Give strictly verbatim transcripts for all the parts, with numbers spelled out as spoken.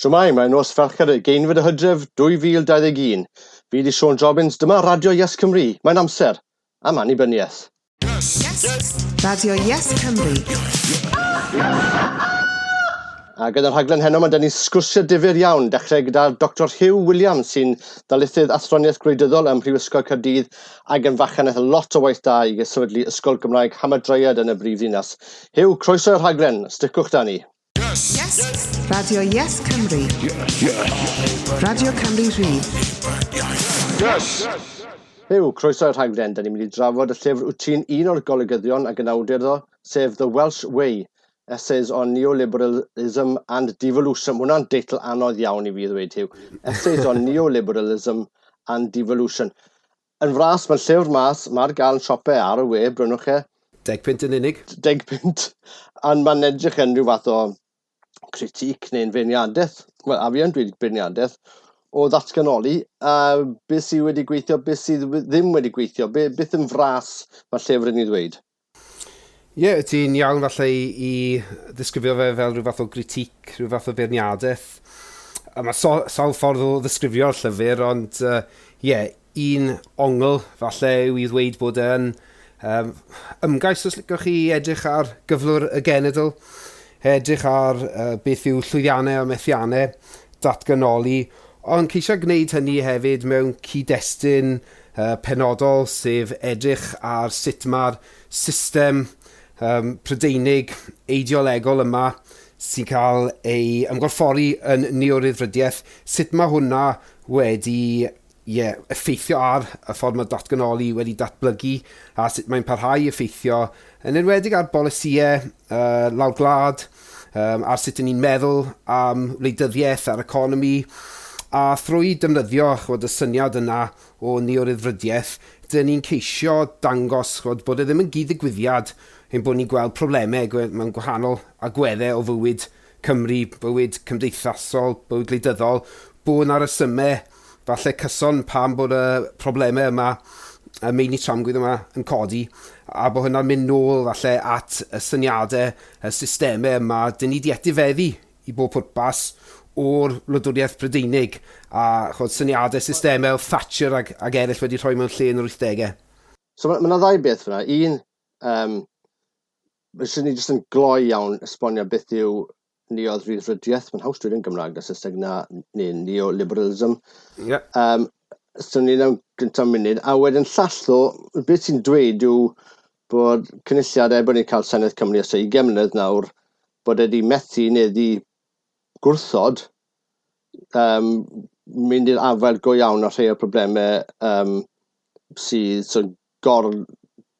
Shwmae, mae'n nos Fercher y ugeinfed o Hydref dwy fil dau ddeg un. Fi 'di Siôn Jobbins, dyma Radio Yes Cymru. Mae'n amser am annibyniaeth. Yes. Radio Yes Cymru. A gyda'r rhaglen heno mae 'da ni sgwrsio difyr iawn, dechrau gyda Doctor Huw Williams sy'n ddarlithydd athroniaeth gwleidyddol ym Mhrifysgol Caerdydd ac yn fachan aeth lot o waith da i sefydlu Ysgol Gymraeg Hamadryad yn y brifddinas. Huw, croeso i'r rhaglen, sticwch da ni. Yes. Radio Yes Cymru. Radio Cymru Rhydd. Yes. Huw, croeso i'r rhaglen. Da ni'n mynd i drafod y llyfr wyt ti'n un o'r golygyddion ac yn awdur iddo, sef The Welsh Way, Essays on Neoliberalism and Devolution. Mae hwnna'n deitl anodd iawn i fi ddweud, Huw. Essays on Neoliberalism and Devolution. Yn fras, mae'r llyfr mas, mae'r gael yn siopau ar y we, brynwch e. Deg punt yn unig. Deg punt. Ond mae'n edrych yn rhyw fath o critique neu'n feirniadaeth, wel, a fi yn dweud beirniadaeth, o ddatganoli, a beth sydd wedi gweithio, beth sydd ddim wedi gweithio, be, beth yn fras mae'r llyfr yn ei ddweud? Ie, yeah, ti'n iawn falle i, i ddisgrifio fe fel rhyw fath o critique, rhyw fath o beirniadaeth. A mae so, sawl ffordd o ddisgrifio'r llyfr, ond ie, uh, yeah, un ongl falle yw i ddweud bod e'n um, ymgais, os licwch chi, edrych ar gyflwr y genedl, edrych ar uh, beth yw llwyddiannau a methiannau datganoli, ond ceisio gwneud hynny hefyd mewn cyd-destun uh, penodol, sef edrych ar sut mae'r system um, Prydeinig eideolegol yma sy'n cael ei ymgorffori yn neoryddfrydiaeth, sut mae hwnna wedi yeah, effeithio ar y ffordd mae datganoli wedi datblygu a sut mae'n parhau effeithio, yn enwedig ar bolisïau uh, lawr gwlad, um, ar sut ni'n meddwl am wleidyddiaeth a'r economi, a thrwy defnyddio chwod, y syniad yna o neoryddfrydiaeth, dyn ni'n ceisio dangos chwod, bod e ddim yn gyd-ddigwyddiad ein bod ni'n gweld problemau mewn gwahanol agweddau o fywyd Cymru, bywyd cymdeithasol, bywyd gwleidyddol, bod 'na resymau falle cyson pam bod y problemau yma, y meini tramgwydd yma yn codi, a bod hynna'n mynd nôl falle at y syniadau, y systemau yma, dyn ni di etifeddu i bob pwrpas o'r wladwriaeth Brydeinig, a chod, syniadau systemau Thatcher ag, ag eraill wedi rhoi mewn lle yn yr wythdegau. So mae yna ddau beth fyna. Un, um, fyswn ni jyst yn gloi iawn esbonio beth yw neoryddfrydiaeth. Mae'n haws dweud yn Gymraeg na Saesneg na neu neoliberalism. Yeah. Um, so ni mewn gyntaf munud. A wedyn llall ddo, beth sy'n dweud yw bod cynulliad, er bod ni'n cael Senedd Cymru ers ugain mlynedd nawr, bod e wedi methu neu wedi gwrthod um, mynd i'r afael go iawn ar rhai o'r problemau um, sydd so, gor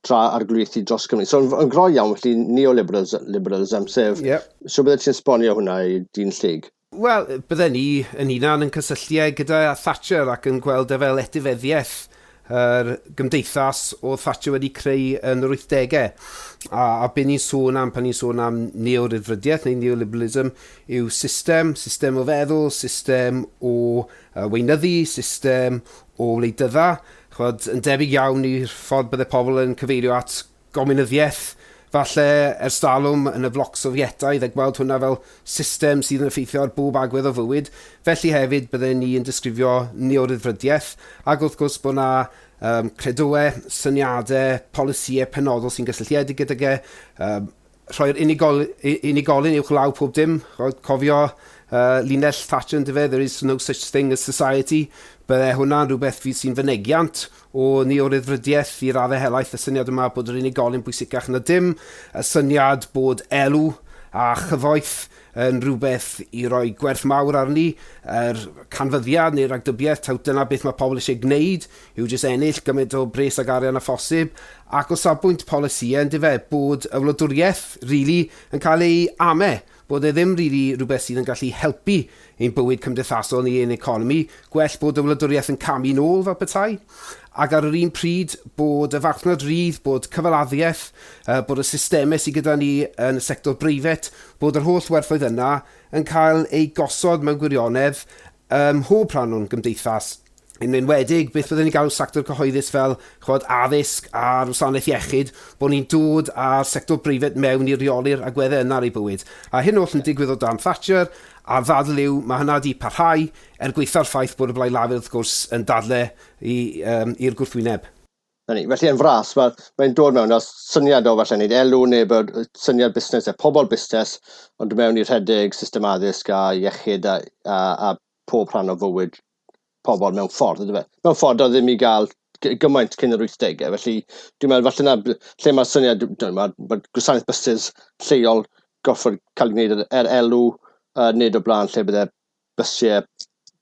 tra arglwyddu dros Cymru. So, yn gloi iawn, felly neoliberalism, sef, yep. So bydde ti'n esbonio hwnna i dyn lleyg? Wel, bydden ni yn hunan yn cysylltu gyda Thatcher ac yn gweld e fel etifeddiaeth yr gymdeithas o Thatcher wedi creu yn yr wythdegau. A, a be ni'n sôn am pan ni'n sôn am neoryddfrydiaeth neu neoliberalism yw system, system o feddwl, system o uh, weinyddu, system o wleidydda. Chwod, yn debyg iawn i'r ffordd bydde pobl yn cyfeirio at gominyddiaeth, falle ers talwm yn y bloc Sofietaidd, a gweld hwnna fel system sydd yn effeithio ar bob agwedd o fywyd. Felly hefyd bydden ni yn disgrifio neoryddfrydiaeth, ac wrth gwrs bod yna um, credoau, syniadau, polisïau penodol sy'n gysylltiedig gydag e, um, rhoi'r unigol, unigolyn uwch law pob dim, cofio uh, linell Thatcher yn dyfe, "There is no such thing as society." Bydde hwnna'n rhywbeth fydd sy'n fynegiant o neoryddfrydiaeth i raddau helaeth, y syniad yma bod yr unigolyn bwysicach na dim, y syniad bod elw a chyfoeth yn rhywbeth i roi gwerth mawr arni, yr canfyddiad neu'r ragdybiaeth, taw dyna beth mae pobl eisiau gwneud, yw jyst ennill gymaint o bres ag arian a phosib, ac o safbwynt polisïau, yn dyfe, bod y wladwriaeth, really, yn cael ei ame, bod e ddim really rhywbeth sydd yn gallu helpu ein bywyd cymdeithasol ni, ein economi, gwell bod y wladwriaeth yn camu nôl fel petai, ac ar yr un pryd bod y farchnad rydd, bod cyfaladdiaeth, bod y systemau sydd gyda ni yn y sector breifat, bod yr holl werthoedd yna yn cael ei gosod mewn gwirionedd ym mhob rhan o'n gymdeithas. Yn enwedig, beth byddwn ni'n galw sector cyhoeddus fel chwod, addysg a'r wasanaeth iechyd, bod ni'n dod â'r sector breifat mewn i reoli'r agweddau yna ar ei bywyd. A hyn oll yn digwydd o dan Thatcher, a ddadl yw, mae hynna wedi parhau er gweitha'r ffaith bod y Blaid Lafur wrth gwrs yn dadle i'r um, gwrthwyneb. Na ni. Felly yn fras, mae'n mae dod mewn â syniad o falle wneud elw neu bod syniad busnes, e pobl busnes, ond mewn i rhedeg system addysg a iechyd a, a, a pob rhan o fywyd pobl mewn ffordd, ydy fe? Mewn ffordd oedd ddim i gael gymaint cyn yr wythdegau, felly dwi'n meddwl falle na lle mae'r syniad, mae ma gwasanaeth buses lleol goffod cael ei wneud er elw, uh, nid o blaen lle bydde bysiau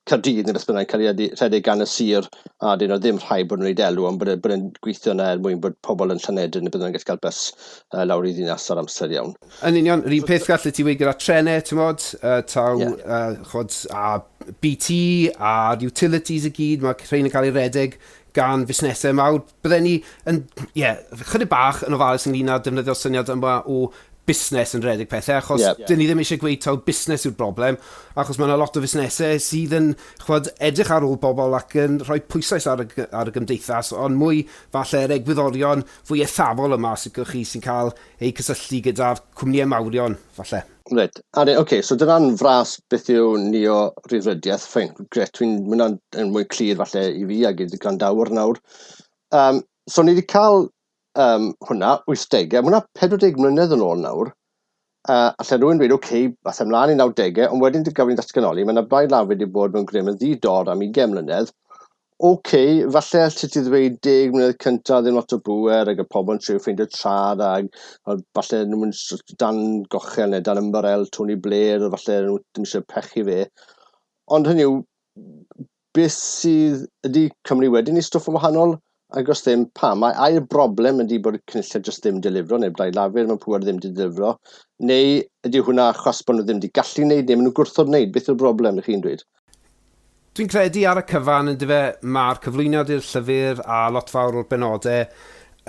Caerdydd neu beth bynnag cael ei rhedeg gan y sir, a dyn nhw ddim rhaid bod nhw'n gwneud elw, ond bod e'n gweithio yna er mwyn bod pobl yn Llanedyn neu bydden nhw'n gallu cael bus uh, lawr i ddinas ar amser iawn. Yn union, yr un peth gallu ti weud gyda trenau, ti'n mod, uh, taw, yeah. uh, chod, a B T a'r utilities i gyd, mae rhain yn cael ei redeg gan fusnesau mawr. Bydden ni yn, ie, yeah, chydig bach yn ofalus ynglyn â defnyddio'r syniad yma o busnes yn rhedeg pethau, achos yeah. dyn ni ddim eisiau gweud taw busnes yw'r broblem, achos mae yna lot o fusnesau sydd yn chwod, edrych ar ôl bobl ac yn rhoi pwyslais ar y, ar y gymdeithas, ond mwy falle yr egwyddorion fwy eithafol yma sy'n chi sy'n cael eu cysylltu gyda'r cwmnïau mawrion, falle. Reit, oce, okay, so dyna'n fras beth yw neo-ryddfrydiaeth, fine, gret, dwi'n mynd yn mwy clir falle i fi ag i'r gwrandawyr nawr. Um, so ni wedi cael um, hwnna, wythdegau, mae hwnna pedwar deg mlynedd yn ôl nawr, uh, allai rhywun dweud, oce, okay, ath ymlaen i nawdegau, ond wedyn gafon ni'n datganoli, mae yna Blaid Lafur wedi bod mewn grym yn ddi-dor am ugain mlynedd. Oce, okay, falle allet ti ddweud deg mlynedd cyntaf ddim lot o bŵer ac y pobl yn trio ffeindio trad ac falle nhw'n mynd dan gochel neu dan ymbarel Tony Blair, a falle nhw ddim eisiau pechu fe. Ond hynny yw, beth sydd ydy Cymru wedyn i stwff yn wahanol? Ac os ddim, pam? Mae ai'r broblem ydy bod y cynulliad jyst ddim delifro, neu Blaid Lafur mewn pŵer ddim delifro, neu ydy hwnna achos bod nhw ddim wedi gallu wneud, neu maen nhw'n gwrthod wneud? Beth yw'r broblem, ych chi'n dweud? Dwi'n credu ar y cyfan yn dyfe, mae'r cyflwyniad i'r llyfr a lot fawr o'r benodau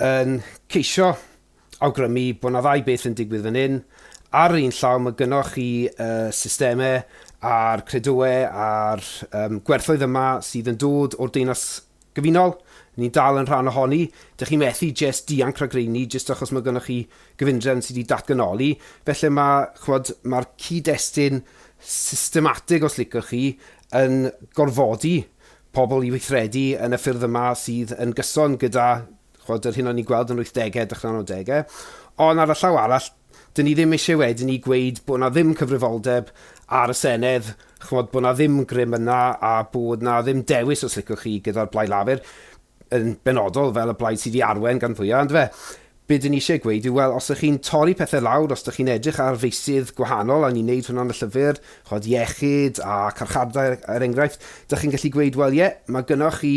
yn ceisio awgrymu bod yna ddau beth yn digwydd fan hyn. Ar yr un llaw mae gynnoch chi uh, systemau a'r credoau a'r um, gwerthoedd yma sydd yn dod o'r Deyrnas Gyfunol. Ni'n dal yn rhan ohoni. Dych chi'n methu jyst dianc rhag rheini, jyst achos mae gynnoch chi gyfundrefn sydd wedi datganoli. Felly mae, chwod, mae'r cyd-destun systematig, os licwch chi, yn gorfodi pobl i weithredu yn y ffyrdd yma sydd yn gyson gyda chwod, yr hyn o'n i'n gweld yn wythdegau, dechrau nawdegau. Ond ar y llaw arall, dyn ni ddim eisiau wedyn i gweud bod na ddim cyfrifoldeb ar y Senedd, chwod, bod na ddim grym yna a bod na ddim dewis, os licwch chi, gyda'r Blaid Lafur yn benodol fel y blaid sydd wedi arwain gan fwyaf, ond fe. Be dyn ni eisiau gweud yw, wel, os ydych chi'n torri pethau lawr, os ydych chi'n edrych ar feysydd gwahanol, a ni'n neud hwnna yn y llyfr, chod iechyd a carchardau er enghraifft, ydych chi'n gallu gweud, wel, ie, mae gynnoch chi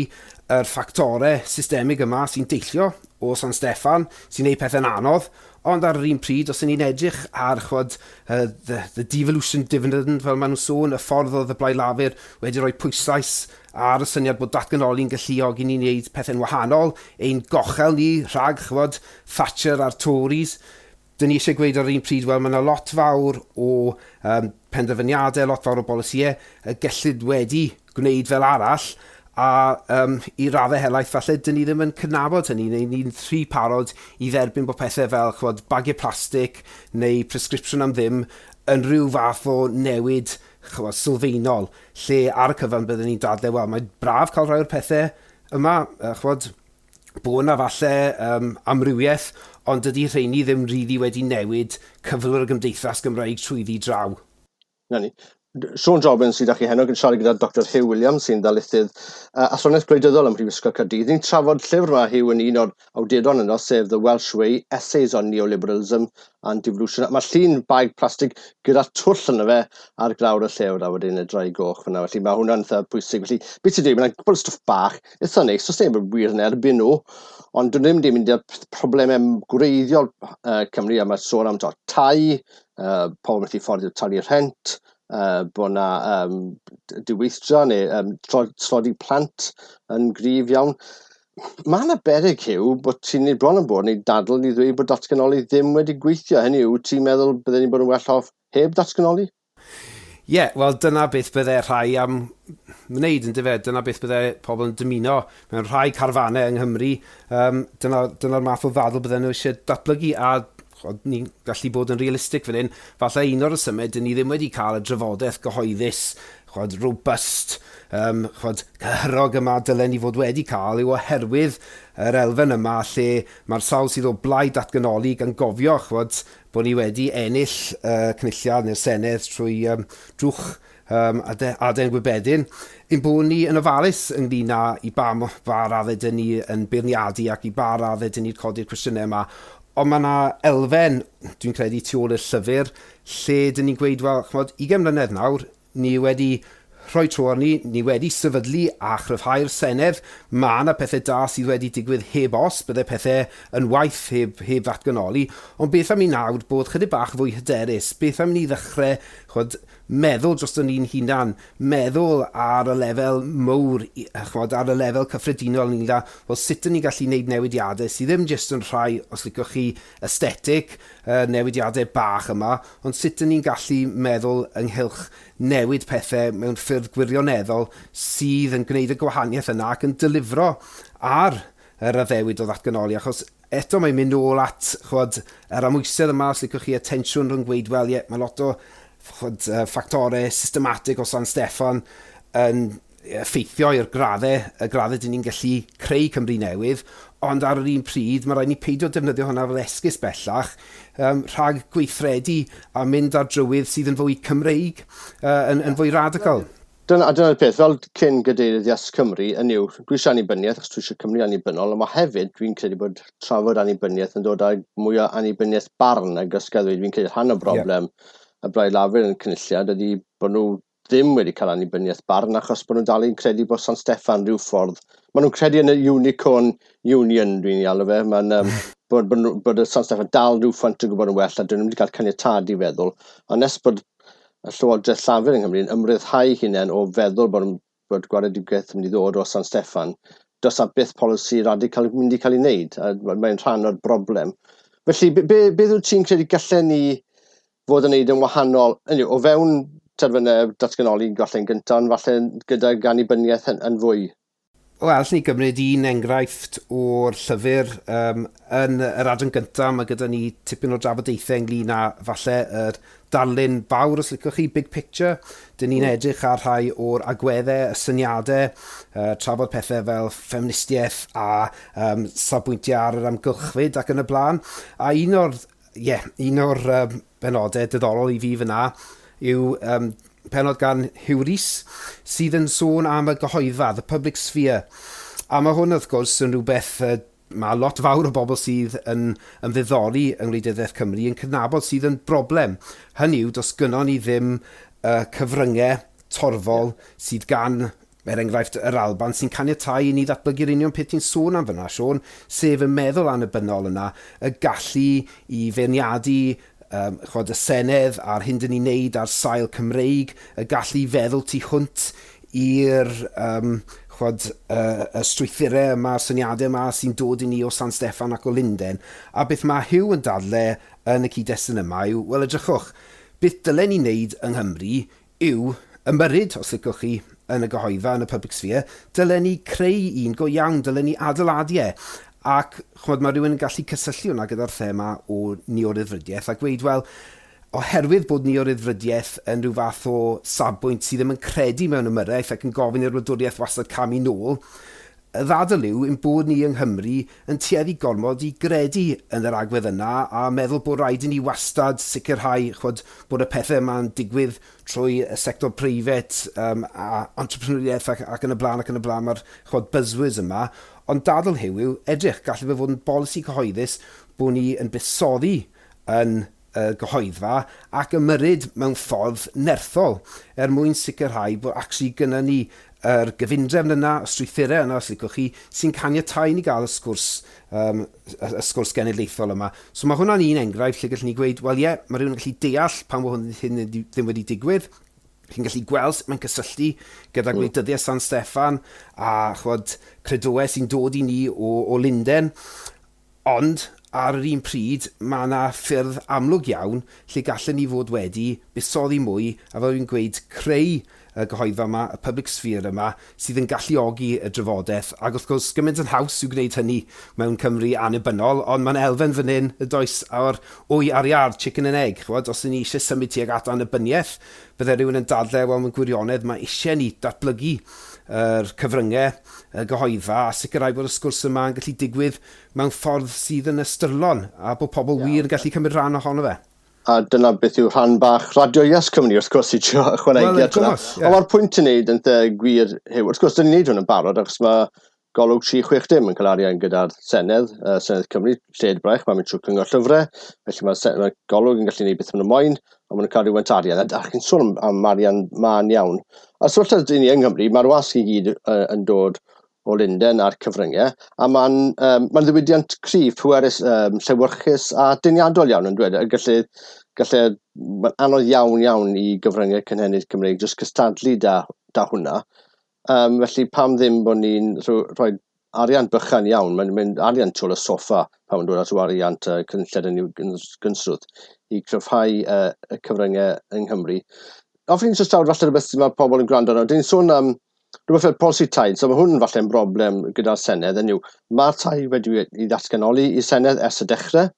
yr ffactorau systemig yma sy'n deillio o San Steffan, sy'n neud pethau'n anodd, ond ar yr un pryd, os ydyn ni'n edrych ar chwod, uh, the, the devolution dividend, fel maen nhw'n sôn, y ffordd oedd y Blaid Lafur wedi rhoi pwyslais ar y syniad bod datganoli'n galluogi ni wneud pethau'n wahanol, ein gochel ni rhag chwod, Thatcher a'r Tories. Dyn ni eisiau gweud ar yr un pryd, wel, mae yna lot fawr o um, penderfyniadau, lot fawr o bolisïau y gellid wedi gwneud fel arall, a um, i raddau helaeth falle, dyn ni ddim yn cydnabod hynny, neu ni'n rhy parod i dderbyn bod pethau fel chwod, bagiau plastig neu prescription am ddim yn rhyw fath o newid chwod, sylfaenol, lle ar y cyfan byddwn ni'n dadlau, wel, mae'n braf cael rhai o'r pethau yma, chwod, bod yna falle um, amrywiaeth, ond dydy rheini ddim rili wedi newid cyflwr y gymdeithas Gymraeg trwyddi draw. Na ni. Siôn Jobbins sydd â chi heno, yn siarad gyda Doctor Huw Williams sy'n ddarlithydd uh, athroniaeth gwleidyddol ym Mhrifysgol Caerdydd. Ni'n trafod llyfr yma, Huw, yn un o'r awduron yno, sef The Welsh Way, Essays on Neoliberalism and Devolution. Mae llun bag plastig gyda twll yno fe ar glawr y llewr a wedyn y drai goch fyna. Felly mae hwnna'n eitha pwysig. Felly, beth ti'n dweud, mae'n gwbl stwff bach, eitha neis, os neb yn wir yn erbyn nhw, ond dyn nhw ddim wedi mynd i'r problemau gwreiddiol uh, Cymru, a mae sôn am to, tai, uh, pobl methu fforddio talu rhent, Uh, bod yna um, diweithdra neu um, tlodi plant yn gryf iawn. Mae yna beryg, Huw, bod ti'n bron yn bod neu dadl i ddweud bod datganoli ddim wedi gweithio. Hynny yw, ti'n meddwl bydden ni'n bod yn well off heb datganoli? Ie, yeah, wel dyna beth bydde rhai am wneud yn dyfe, dyna beth bydde pobl yn dymuno mewn rhai carfanau yng Nghymru. Um, dyna'r dyna math o ddadl bydden nhw eisiau datblygu, a ni'n gallu bod yn realistig fan hyn. Falle un o'r rhesymau, dyn ni ddim wedi cael y drafodaeth gyhoeddus, chwad, robust, um, chwad, cyhyrog yma dylen ni fod wedi cael, yw oherwydd yr elfen yma lle mae'r sawl sydd o blaid datganoli gan gofio, chwad, bod ni wedi ennill uh, cynulliad neu'r Senedd trwy um, drwch um, aden gwybedyn, ein bod ni yn ofalus ynglyn â i ba, ba raddau dyn ni yn beirniadu ac i ba raddau dyn ni'n codi'r cwestiynau yma. Ond mae yna elfen, dwi'n credu, tu ôl i'r llyfr, lle dyn ni'n gweud, wel, ch'mod, ugain mlynedd nawr, ni wedi rhoi tro arni, ni wedi sefydlu a chryfhau'r Senedd. Mae yna pethau da sydd wedi digwydd heb os, bydde pethau yn waith heb, heb ddatganoli. Ond beth am i nawr bod chydig bach fwy hyderus? Beth am ni ddechrau, ch'mod, meddwl dros ni'n hunan, meddwl ar y lefel mowr, ch'mod, ar y lefel cyffredinol ynglyn â, wel, sut ydyn ni'n gallu gwneud newidiadau sydd ddim jyst yn rhai, os licwch chi, aesthetic, uh, newidiadau bach yma, ond sut ydyn ni'n gallu meddwl ynghylch newid pethau mewn ffyrdd gwirioneddol sydd yn gwneud y gwahaniaeth yna ac yn delifro ar yr addewid o ddatganoli, achos eto mae'n mynd nôl at, ch'mod, yr amwysedd yma, os licwch chi, y tensiwn rhwng gweud, wel, ie, mae lot o, ch'mod, uh, ffactorau systematig o San Steffan yn effeithio i'r graddau, y graddau dyn ni'n gallu creu Cymru newydd, ond ar yr un pryd, mae rhaid ni peidio defnyddio hwnna fel esgus bellach um, rhag gweithredu a mynd ar drywydd sydd yn fwy Cymreig, uh, yn, yn fwy radical. Dyna, dyna'r peth, fel cyn gadeirydd Yes Cymru, yn yw, dwi eisiau annibyniaeth, achos dwi eisiau Cymru annibynnol, ond mae hefyd, dwi'n credu bod trafod annibyniaeth yn dod â mwy o annibyniaeth barn, ac os gael dweud, dwi'n credu rhan o broblem yeah. y Blaid Lafur yn cynulliad ydy bod nhw ddim wedi cael annibyniaeth barn, achos bod nhw'n dal i'n credu bod San Steffan rhyw ffordd. Maen nhw'n credu yn y Unicorn Union, dwi'n ei alw fe. Mae'n, um, bod, bod, bod y San Steffan dal rhyw ffant yn gwybod yn well, a dyn nhw'n wedi cael caniatâd i feddwl. Ond nes bod y Llywodraeth Llafur yng Nghymru yn ymryddhau hunain o feddwl bod, bod gwaredigaeth yn mynd i ddod o San Steffan, does na byth polisi radical mynd i cael ei wneud, a mae'n rhan o'r broblem. Felly, be, be, beth wyt ti'n credu gallen ni fod yn wneud yn wahanol, hynny yw, o fewn terfynau datganoli galle'n gyntaf, ond falle gydag annibyniaeth yn, yn fwy? Wel, allwn ni gymryd un enghraifft o'r llyfr. Um, yn yr adran gyntaf, mae gyda ni tipyn o drafodaethau ynglyn â falle yr darlun fawr, os licwch chi, big picture. Dyn ni'n edrych ar rhai o'r agweddau, y syniadau, uh, trafod pethau fel ffeministiaeth a um, safbwyntiau ar yr amgylchfyd ac yn y blaen. A un o'r, yeah, un o'r um, benodau diddorol i fi fyna yw um, penod gan Huw Rees, sydd yn sôn am y gyhoeddfa, the public sphere. A mae hwn, wrth gwrs, yn rhywbeth uh, mae lot fawr o bobl sydd yn ymddiddori yng ngwleidyddiaeth Cymru yn cydnabod sydd yn broblem. Hynny yw, does gynnon ni ddim uh, cyfryngau torfol sydd gan, er enghraifft, yr Alban, sy'n caniatáu i ni ddatblygu'r union peth ti'n sôn am fyna, Siôn, sef y meddwl annibynnol yna, y gallu i feirniadu um, chwod, y Senedd a'r hyn dyn ni'n neud ar sail Cymreig, y gallu feddwl tu hwnt i'r um, chwod, uh, y strwythurau yma, y syniadau yma sy'n dod i ni o San Steffan ac o Lunden. A beth mae Huw yn dadle yn y cyd-destun yma yw, wel, edrychwch, beth dylen ni wneud yng Nghymru yw ymyrryd, os licwch chi, yn y gyhoeddfa, yn y public sphere, dylen ni creu un go iawn, dylen ni adeiladu e. Ac ch'mod, mae rhywun yn gallu cysylltu hwnna gyda'r thema o neo-ryddfrydiaeth a gweud, wel, oherwydd bod neo-ryddfrydiaeth yn rhyw fath o safbwynt sydd ddim yn credu mewn ymyrraeth ac yn gofyn i'r wladwriaeth wastad camu nôl, y ddadl yw ein bod ni yng Nghymru yn tueddu gormod i gredu yn yr agwedd yna a meddwl bod rhaid i ni wastad sicrhau, ch'mod, bod y pethau yma'n digwydd trwy y sector preifat um, a entrepreneuriaeth ac, ac yn y blaen ac yn y blaen, mae'r, ch'mod, buzzwords yma. Ond dadl Huw yw, edrych, gallai fe fod yn bolisi cyhoeddus bod ni yn buddsoddi yn y gyhoeddfa ac ymyrryd mewn ffordd nerthol er mwyn sicrhau bod actually gynna ni yr gyfundrefn yna, y strwythurau yna, os licwch chi, sy'n caniatáu ni gael y sgwrs, um, y, y sgwrs genedlaethol yma. So mae hwnna'n un enghraifft lle gallwn ni gweud, wel ie, mae rhywun yn gallu deall pam bod hwn hyn ddim wedi digwydd. Chi'n gallu gweld sut mae'n cysylltu gyda gwleidyddiaeth San Steffan a, ch'mod, credoau sy'n dod i ni o, o Lunden. Ond ar yr un pryd, mae yna ffyrdd amlwg iawn lle gallen ni fod wedi buddsoddi mwy, a fel dwi'n gweud, creu y gyhoeddfa yma, y public sphere yma, sydd yn galluogi y drafodaeth. Ac wrth gwrs, gymaint yn haws yw gwneud hynny mewn Cymru annibynnol, ond mae'n elfen fan hyn, y does, o'r wy a'r iâr, chicken and egg. Chwod, os ni eisiau symud tuag at annibyniaeth, bydde rhywun yn dadlau, wel, mewn gwirionedd, mae eisiau ni datblygu yr cyfryngau, y gyhoeddfa, a sicrhau bod y sgwrs yma yn gallu digwydd mewn ffordd sydd yn ystyrlon, a bod pobl yeah. wir yn gallu cymryd rhan ohono fe. A dyna beth yw rhan bach Radio Yes Cymru, wrth gwrs, i trio ychwanegu at hwnna. Yeah. Ond mae'r pwynt yn neud yn gwir, Huw, wrth gwrs, dyn ni'n neud hwn yn barod, achos mae Golwg tri chwech dim yn cael arian gyda'r Senedd, uh, Senedd Cymru, lled braich, mae'n mynd trwy cyngor llyfrau, felly mae, mae Golwg yn gallu gwneud beth maen nhw moyn, ond maen nhw'n cael rhywfaint arian, a chi'n sôn am, am arian mân iawn. A sefyllfa dyn ni yng Nghymru, mae'r wasg i gyd uh, yn dod o Lundain a'r cyfryngau, a mae'n um, ma ddiwydiant cryf, pwerus, um, llewyrchus a deniadol iawn yn dweud. A gallu, gallu, mae'n anodd iawn iawn i gyfryngau cynhenid Cymreig jyst cystadlu da, da hwnna. Um, felly pam ddim bod ni'n rhoi arian bychan iawn, mae'n mynd arian tu ôl y soffa pan mae'n dod at wariant uh, cynlled yn gynsrwth i cryfhau uh, y cyfryngau yng Nghymru. Ofyn i'n jyst awr falle rhywbeth sydd mae pobl yn gwrando arno. Dyn ni'n sôn am rhywbeth fel polisi tai, so mae hwn falle'n broblem gyda'r Senedd, yn yw, mae'r tai wedi ei ddatganoli i Senedd ers y dechrau,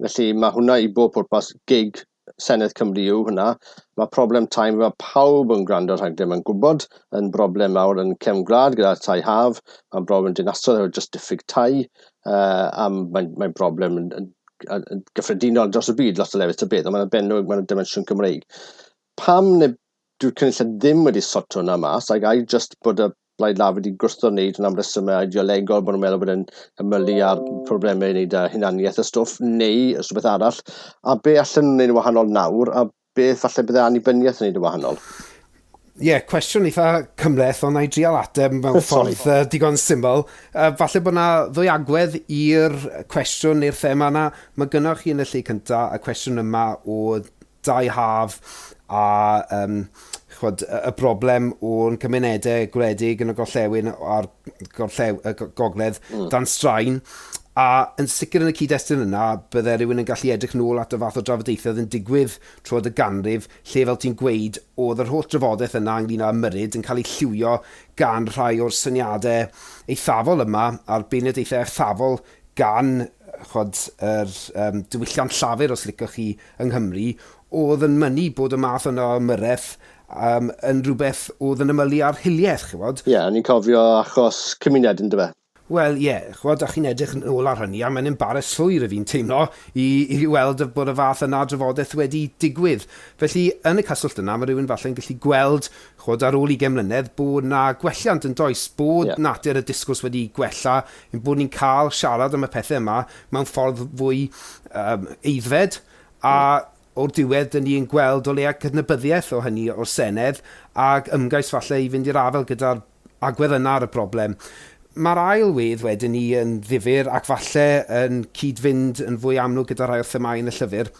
felly mae hwnna i bob pwrpas gig Senedd Cymru yw hwnna. Mae problem tai, mae pawb yn gwrando ar rhaglen mae'n gwybod, yn broblem mawr yn cefn gwlad gyda tai haf, mae'n broblem dinasoedd efo jyst diffyg tai, uh, a mae'n mae broblem yn, yn, yn, yn gyffredinol dros y byd, lot o lefydd ta beth, ond mae'n arbennig, mae'n dimensiwn Cymreig. Pam neu dyw'r cynulliad ddim wedi sorto hwnna mas, ac ai just bod y Blaid Lafur wedi gwrthod wneud hwnna am resymau ideolegol, bod nhw'n meddwl bod e'n ymylu ar problemau i wneud â hunaniaeth y stwff, neu rhywbeth arall, a be allan nhw'n wneud yn wahanol nawr, a beth falle bydde annibyniaeth yn wneud yn wahanol? Ie, yeah, cwestiwn eitha cymhleth, ond na i drial ateb mewn ffordd uh, digon syml. Uh, falle bod yna ddwy agwedd i'r cwestiwn neu'r thema yna. Mae gynnoch chi yn y lle cynta y cwestiwn yma o dai haf a um, chwod, y broblem o'n cymunedau gwledig yn y gorllewin a'r gorllew, y gogledd mm. dan straen. A yn sicr yn y cyd-destun yna, bydde rhywun yn gallu edrych nôl at y fath o drafodaethau oedd yn digwydd trwy'r y ganrif, lle fel ti'n gweud, oedd yr holl drafodaeth yna ynglyn â ymyrryd yn cael ei lliwio gan rhai o'r syniadau eithafol yma, a'r beirniadaethau eithafol gan chwod, yr um, diwylliant llafur, os licwch chi, yng Nghymru, oedd yn mynnu bod y math yna o ymyrraeth um, yn rhywbeth oedd yn ymylu ar hiliaeth, ch'wod. Ie, yeah, ni'n cofio achos cymuned yn dyfe. Wel, ie, yeah, ch'wod, a chi'n edrych yn ôl ar hynny, a mae'n embarrass llwyr y fi'n teimlo i, i weld bod y fath yna drafodaeth wedi digwydd. Felly, yn y cyswllt yna, mae rhywun falle'n gallu gweld, ch'wod, ar ôl ugain mlynedd, bod na gwelliant yn does, bod yeah. natur y disgwrs wedi gwella, ein bod ni'n cael siarad am y pethau yma mewn ffordd fwy um, aeddfed, a mm. o'r diwedd, dyn ni'n gweld o leia cydnabyddiaeth o hynny o'r Senedd ac ymgais falle i fynd i'r afael gyda'r agwedd yna ar y broblem. Mae'r ail wedd wedyn ni yn ddifyr ac falle yn cyd-fynd yn fwy amlwg gyda rhai o'r themâu yn y llyfr,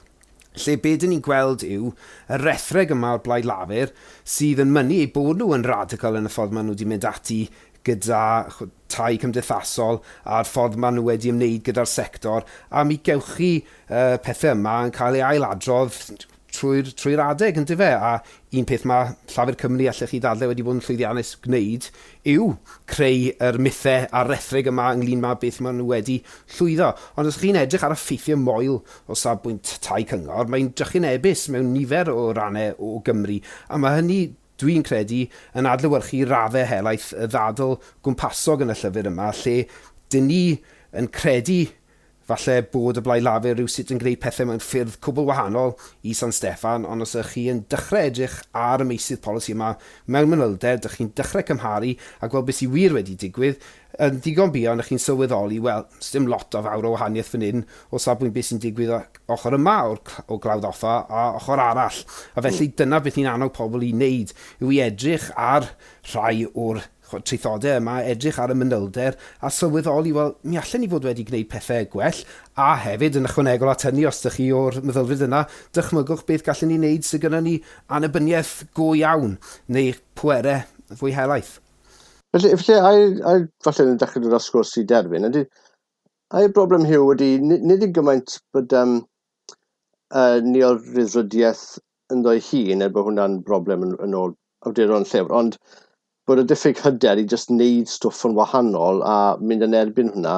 lle be dyn ni'n gweld yw y rethreg yma o'r Blaid Lafur sydd yn mynnu eu bod nhw yn radical yn y ffordd maen nhw wedi mynd ati gyda tai cymdeithasol a'r ffordd maen nhw wedi ymwneud gyda'r sector, a mi gewch chi uh, pethau yma yn cael ei ailadrodd trwy'r trwy adeg, yn dyfe? A un peth mae Llafur Cymru allech chi ddadlau wedi bod yn llwyddiannus gwneud yw creu yr mythau a'r rhethreg yma ynglyn â beth maen nhw wedi llwyddo. Ond os chi'n edrych ar y ffeithiau moel o safbwynt tai cyngor, mae'n drychinebus mewn nifer o rannau o Gymru. A mae hynny, dwi'n credu, yn adlewyrchu raddau helaeth y ddadl gwmpasog yn y llyfr yma, lle dyn ni yn credu falle bod y Blaid Lafur rhywsut yn gwneud pethau mewn ffyrdd cwbl wahanol i San Steffan, ond os ydych chi yn dechrau edrych ar y meysydd polisi yma mewn manylder, dych chi'n dechrau cymharu a gweld beth sydd wir wedi digwydd, yn ddigon buan ych chi'n sylweddoli, wel, sdim lot o fawr o wahaniaeth fan hyn o safbwynt beth sy'n digwydd ochr yma o'r, o Glawdd Offa a ochr arall. A felly dyna beth ni'n annog pobl i wneud, yw i edrych ar rhai o'r traethodau yma, edrych ar y manylder a sylweddoli, wel, mi allen ni fod wedi gwneud pethau gwell, a hefyd yn ychwanegol at hynny, os ydych chi o'r meddylfryd yna, dychmygwch beth gallen ni wneud sydd gyda ni annibyniaeth go iawn, neu pwerau fwy helaeth. Felly, felly ai, ai falle yn dechrau dod â sgwrs i derfyn, ydy, ai broblem Huw ydy, nid i gymaint bod um, uh, neoryddfrydiaeth ynddo'i hun, er bod hwnna'n broblem yn, yn ôl awduron llyfr, ond bod y diffyg hyder i jyst wneud stwff yn wahanol a mynd yn erbyn hwnna,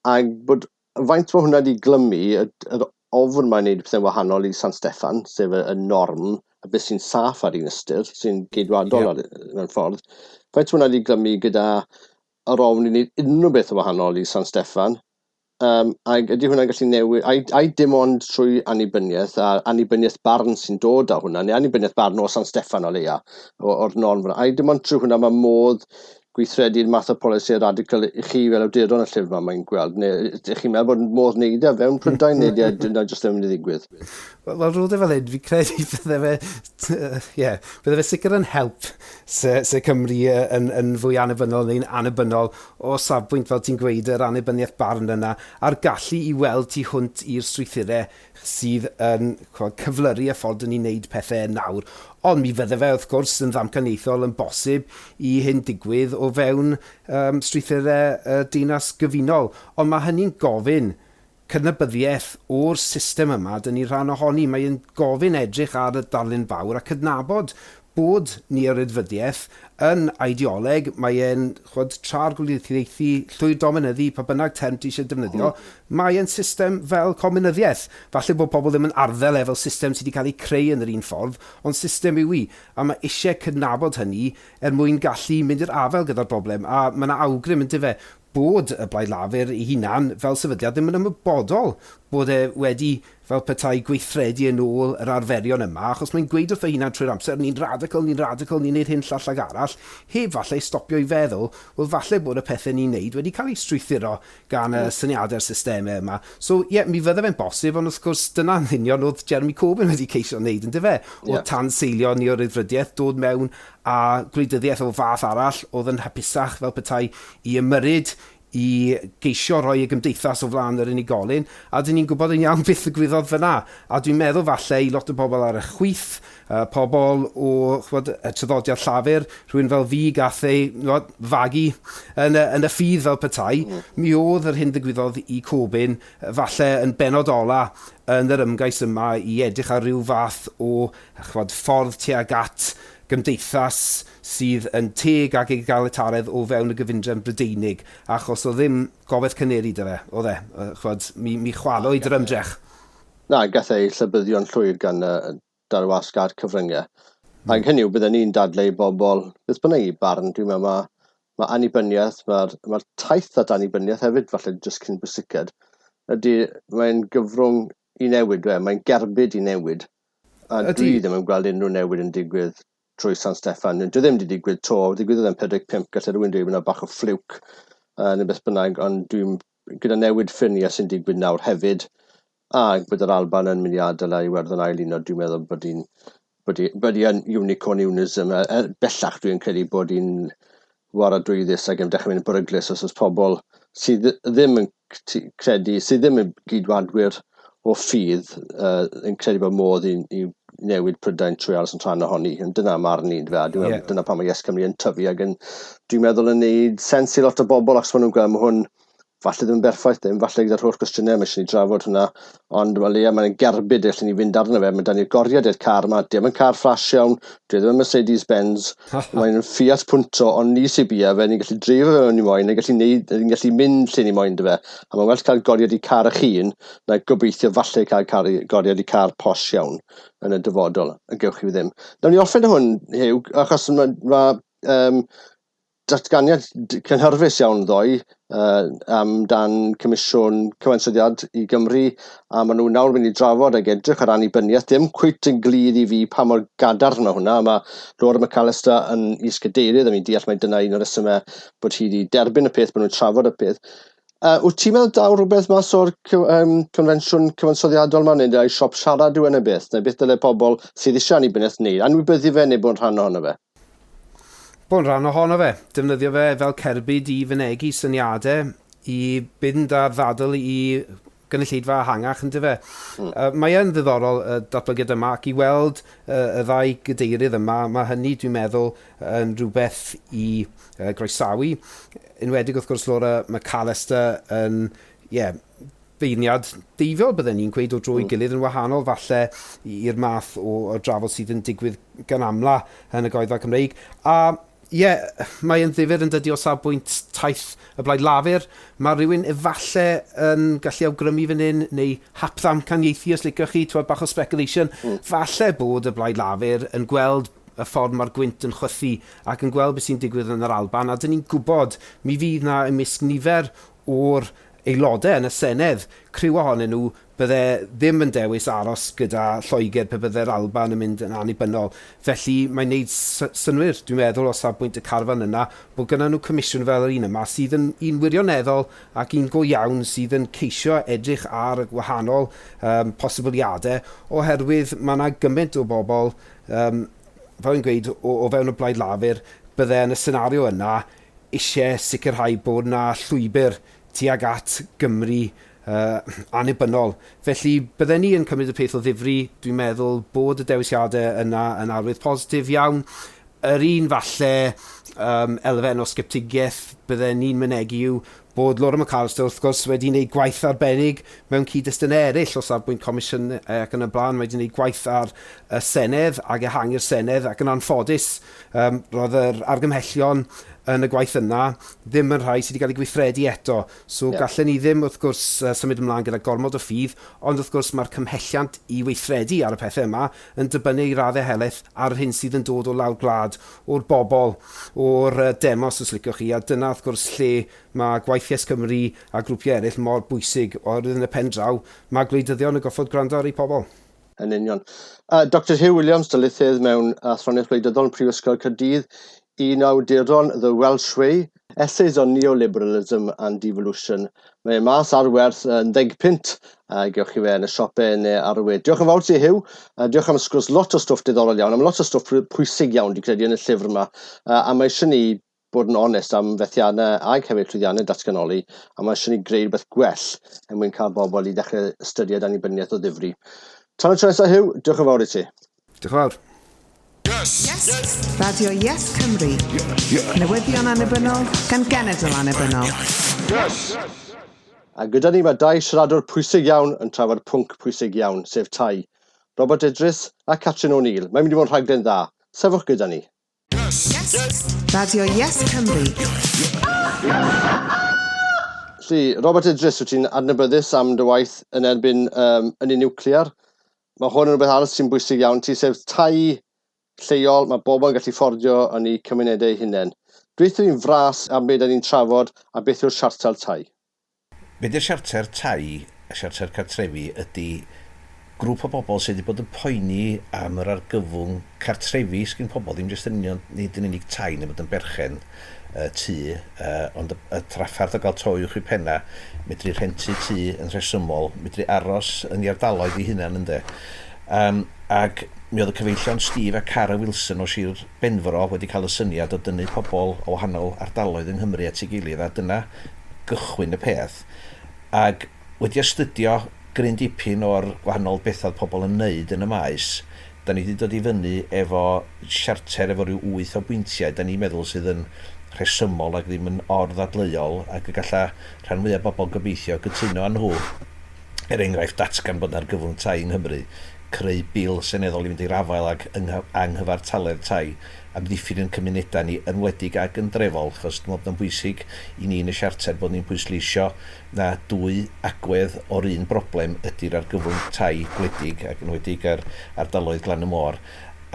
a bod faint mae hwnna wedi glymu, y, yr ofn mae'n wneud pethau'n wahanol i San Steffan, sef y, y norm, y beth sy'n saff ar un ystyr, sy'n geidwadol yeah. ar, mewn ffordd, faint mae hwnna wedi glymu gyda yr ofn i wneud unrhyw beth yn wahanol i San Steffan, Um, ac ydy hwnna'n gallu newid, ai, ai dim ond trwy annibyniaeth, a annibyniaeth barn sy'n dod â hwnna, neu annibyniaeth barn o San Steffan o leia, o'r norm fyna. Ai dim ond trwy hwnna mae modd gweithredu'r math o polisi radical i chi fel awduron y llyfr yma mae'n gweld, neu ydych chi'n meddwl bod modd wneud e fewn Prydain, neu dyna jyst ddim yn mynd i ddigwydd? Wel, wel rôd e fel hyn, fi credu bydde fe, ie, yeah, bydde fe sicr yn help se, se Cymru yn, yn fwy annibynnol neu'n annibynnol o safbwynt, fel ti'n gweud, yr annibyniaeth barn yna, a'r gallu i weld tu hwnt i'r strwythurau sydd yn cyflyru y ffordd yn ni'n neud pethau nawr. Ond mi fydde fe, wrth gwrs, yn ddamcaniaethol yn bosib i hyn digwydd o fewn um, strwythurau uh, dinas gyfunol. Ond mae hynny'n gofyn cydnabyddiaeth o'r system yma, dyn ni rhan ohoni. Mae'n gofyn edrych ar y darlun fawr a cydnabod bod ni ar ydfyddiaeth yn ideoleg, mae e'n chwod, tra'r gwleidyddiaethu, llwyr dominyddu, pa bynnag term ti eisiau defnyddio, mm. mae e'n system fel comunyddiaeth. Falle bod pobl ddim yn arddel e fel system sydd wedi cael ei creu yn yr un ffordd, ond system yw i. A mae eisiau cydnabod hynny er mwyn gallu mynd i'r afael gyda'r broblem. A mae yna awgrym yn dyfe bod y Blaid Lafur ei hunan fel sefydliad ddim yn ymwybodol bod e wedi fel petai gweithredu yn ôl yr arferion yma, achos mae'n gweud wrth ei hunan trwy'r amser, ni'n radical, ni'n radical, ni'n neud hyn llall ag arall, heb falle stopio i feddwl, wel falle bod y pethau ni'n neud wedi cael ei strwythuro gan y syniadau'r systemau yma. So ie, yeah, mi fydde fe'n bosib, ond wrth gwrs dyna'n union oedd Jeremy Corbyn wedi ceisio wneud, yn dyfe? O yeah. tanseilio ni o'r ryddfrydiaeth, dod mewn a gwleidyddiaeth o fath arall oedd yn hapusach fel petai i ymyryd i geisio rhoi y gymdeithas o flaen yr unigolyn, a dyn ni'n gwybod yn iawn beth ddigwyddodd fyna. A dwi'n meddwl falle i lot o bobl ar y chwith, uh, pobl o chwod, y traddodiad llafur, rhywun fel fi gath ei chwod, fagu yn y, yn y ffydd fel petai, mm. mi oedd yr hyn ddigwyddodd i Corbyn falle yn benod ola yn yr ymgais yma i edrych ar ryw fath o chwod, ffordd tuag at gymdeithas sydd yn teg ac egalitaredd o fewn y gyfundrefn Brydeinig, achos o ddim gobaith caneri 'da fe, oedd e, chwod, mi, mi chwalwyd yr ymdrech. Na, gath ei llybyddio'n llwyr gan uh, darwasg a'r cyfryngau. Mm. Ac hynny yw, bydden ni'n dadlau i bobl, beth bynnag i barn, dwi'n meddwl mae ma annibyniaeth, mae'r ma taith at annibyniaeth hefyd, falle jyst cyn bwysiced, ydy mae'n gyfrwng i newid, we, mae'n gerbyd i newid. A ydy. Dwi ddim yn gweld unrhyw newid yn digwydd trwy San Steffan. Dwi ddim wedi digwydd to, digwyddodd yn pedwar deg pump, gallai rhywun dweud yna bach o ffliwc uh, neu beth bynnag, ond dwi'n gyda newid ffiniau sy'n digwydd nawr hefyd, a bod yr Alban yn mynd i adael a Iwerddon ail uno, dwi'n meddwl bod hi'n bod hi, bod hi yn unicorn unism. Er, bellach dwi'n credu bod hi'n waradwyddus ac yn dechrau mynd yn beryglus os oes pobl sydd ddim yn credu, sydd ddim yn gydwadwyr o ffydd uh, yn credu bod modd i, i newid Prydain trwy aros yn rhan ohoni. Ond dyna marn i, fe. Dwi'n yeah. Dyna pam mae Yes Cymru yn tyfu ac yn, dwi'n meddwl yn neud sens i lot o bobl achos maen nhw'n gweld mae hwn falle ddim yn berffaith ddim, falle gyda'r holl gwestiynau, mae eisiau ni drafod hwnna, ond wel ie, mae'n gerbyd allan ni fynd arno fe, mae dan ni'r goriad i'r car yma, dim yn car flash iawn, dwi ddim yn Mercedes-Benz, mae'n Fiat Punto, ond ni sy'n bia fe, ni'n gallu dreifo fe mewn i moyn, ni'n gallu, neud, ni'n gallu mynd lle ni moyn dy fe, a mae'n well cael goriad i car eich hun, na gobeithio falle cael car, goriad i car posh iawn yn y dyfodol, yn gewch chi ddim. Nawn ni orffen hwn, Huw, achos mae ma, um, datganiad cynhyrfus iawn ddoe uh, amdan Comisiwn Cyfansoddiad i Gymru, a maen nhw nawr mynd i drafod ag edrych ar annibyniaeth. Dim cweit yn glir i fi pa mor gadarn mae hwnna. Mae Laura McAllister yn is-gadeirydd, a mi'n deall mai dyna un o'r resymau bod hi wedi derbyn y peth, bod nhw'n trafod y peth. Uh, wyt ti'n meddwl daw rhywbeth mas o'r um, confensiwn cyfansoddiadol yma, neu ai siop siarad yw yn y beth, neu beth dyle pobl sydd eisiau annibyniaeth wneud, anwybyddu fe neu bod yn rhan ohono fe? Bod yn rhan ohono fe, defnyddio fe fel cerbyd i fynegi syniadau, i fynd ar ddadl i gynulleidfa ehangach, yn dyfe. Mm. Uh, mae yn ddiddorol y datblygiad yma, ac i weld uh, y ddau gadeirydd yma, mae hynny, dwi'n meddwl, yn rhywbeth i uh, groesawu. Enwedig, wrth gwrs, Laura McAllister yn, ie, yeah, feirniad deifiol bydden ni'n gweud o dro i mm. gilydd yn wahanol falle i'r math o, o drafod sydd yn digwydd gan amla yn y goedfa Cymreig. A ie, yeah, mae yn ddifyr yn dydi o safbwynt taith y Blaid Lafur. Mae rhywun efalle yn gallu awgrymu fan hyn, neu hapddamcaniaethu os licioch chi, twyd bach o speculation. Mm. Falle bod y Blaid Lafur yn gweld y ffordd mae'r gwynt yn chwythu ac yn gweld beth sy'n digwydd yn yr Alban, a dyn ni'n gwybod mi fydd na ymysg nifer o'r aelodau yn y Senedd, criw ohonyn nhw bydde ddim yn dewis aros gyda Lloegr pe bydde'r Alban yn mynd yn annibynnol. Felly mae'n neud synnwyr, dwi'n meddwl, o safbwynt y carfan yna, bod gyda nhw comisiwn fel yr un yma sydd yn un wirioneddol ac un go iawn sydd yn ceisio edrych ar y gwahanol um, posibiliadau, oherwydd mae yna gymaint o bobl, um, fel yn gweud, o, o fewn y Blaid Lafur, bydde yn y senario yna eisiau sicrhau bod yna llwybr tuag at Gymru uh, annibynnol. Felly bydden ni yn cymryd y peth o ddifri, dwi'n meddwl bod y dewisiadau yna yn arwydd positif iawn. Yr un falle um, elfen o sgeptigaeth bydden ni'n mynegi yw bod Laura McAllister wrth gwrs wedi gwneud gwaith arbennig mewn cyd-destunau eraill o safbwynt comisiwn ac yn y blaen, wedi gwneud gwaith ar y Senedd ac ehangu'r Senedd ac yn anffodus um, roedd yr argymhellion yn y gwaith yna ddim yn rhai sydd wedi cael ei gweithredu eto. So yeah. gallen ni ddim wrth gwrs symud ymlaen gyda gormod o ffydd, ond wrth gwrs mae'r cymhelliant i weithredu ar y pethau yma yn dibynnu i raddau helaeth ar yr hyn sydd yn dod o lawr gwlad, o'r bobl, o'r demos os liciwch chi, a dyna wrth gwrs lle mae gwaith Yes Cymru a grwpiau eraill mor bwysig, oherwydd yn y pen draw mae gwleidyddion yn goffod gwrando ar eu pobl. Yn union. Uh, Doctor Huw Williams, darlithydd mewn athroniaeth gwleidyddol yn Prifysgol Caerdydd, un awduron The Welsh Way, Essays on Neoliberalism and Devolution. Mae mas ar werth yn ddeg punt, a gewch chi fe yn y siopau neu ar y we. Diolch yn fawr ti, Huw. Uh, diolch am sgwrs, lot o stwff diddorol iawn, am lot o stwff pwysig iawn, dwi'n credu, yn y llyfr yma. Uh, a mae eisiau ni bod yn onest am fethiannau ag hefyd llwyddiannau datganoli, a mae eisiau ni greu rhywbeth gwell er mwyn cael bobl i ddechrau ystyried annibyniaeth o ddifri. Tan y tro nesaf, Huw, diolch yn fawr i ti. Diolch yn fawr. Yes. Yes. Radio Yes Cymru. Yes. Yes. Newyddion annibynnol gan genedl annibynnol. Yes. A gyda ni mae dau siaradwr pwysig iawn yn trafod pwnc pwysig iawn, sef tai. Robert Idris a Catrin O'Neill. Mae'n mynd i fod yn rhaglen dda. Sefwch gyda ni. Yes. Yes. Radio Yes Cymru. Felly, Robert Idris, wyt ti'n adnabyddus am dy waith yn erbyn um, ynni niwclear. Mae hwn yn rhywbeth arall sy'n bwysig iawn ti, sef tai lleol, mae bobl yn gallu fforddio yn eu cymunedau eu hunain. Dweud fi'n fras am beth ni'n trafod a beth yw'r siarter tai. Be di'r siarter tai, y siarter cartrefi, ydy grŵp o bobl sydd wedi bod yn poeni am yr argyfwng cartrefi sgyn pobl, ddim jyst yn union, nid yn unig tai neu bod yn berchen uh, tŷ, uh, ond y, y trafferth o gael to uwch i penna, medru rhentu tŷ yn rhesymol, medru aros yn ei ardaloedd ei hunan ynde. Um, ac mi oedd y cyfeillion Steve a Cara Wilson o Sir Benfro wedi cael y syniad o dynnu pobl o wahanol ardaloedd yng Nghymru at ei gilydd, a dyna gychwyn y peth. Ac wedi astudio gryn dipyn o'r gwahanol bethau pobl yn wneud yn y maes, da ni wedi dod i fyny efo siarter efo rhyw wyth o bwyntiau, da ni'n meddwl sydd yn rhesymol ac ddim yn orddadleuol, ac y galla rhan fwyaf bobl gobeithio gytuno â nhw. Er enghraifft, datgan bod yna argyfwng tai yng Nghymru, creu bil seneddol i fynd i'r afael ag anghyfartaledd tai, amddiffyn yn cymunedau ni yn wledig ac yn drefol, achos dwi'n meddwl bod o'n bwysig i ni yn y siarter bod ni'n pwysleisio na dwy agwedd o'r un broblem ydy'r argyfwng tai gwledig ac yn wledig ar ardaloedd glan y môr,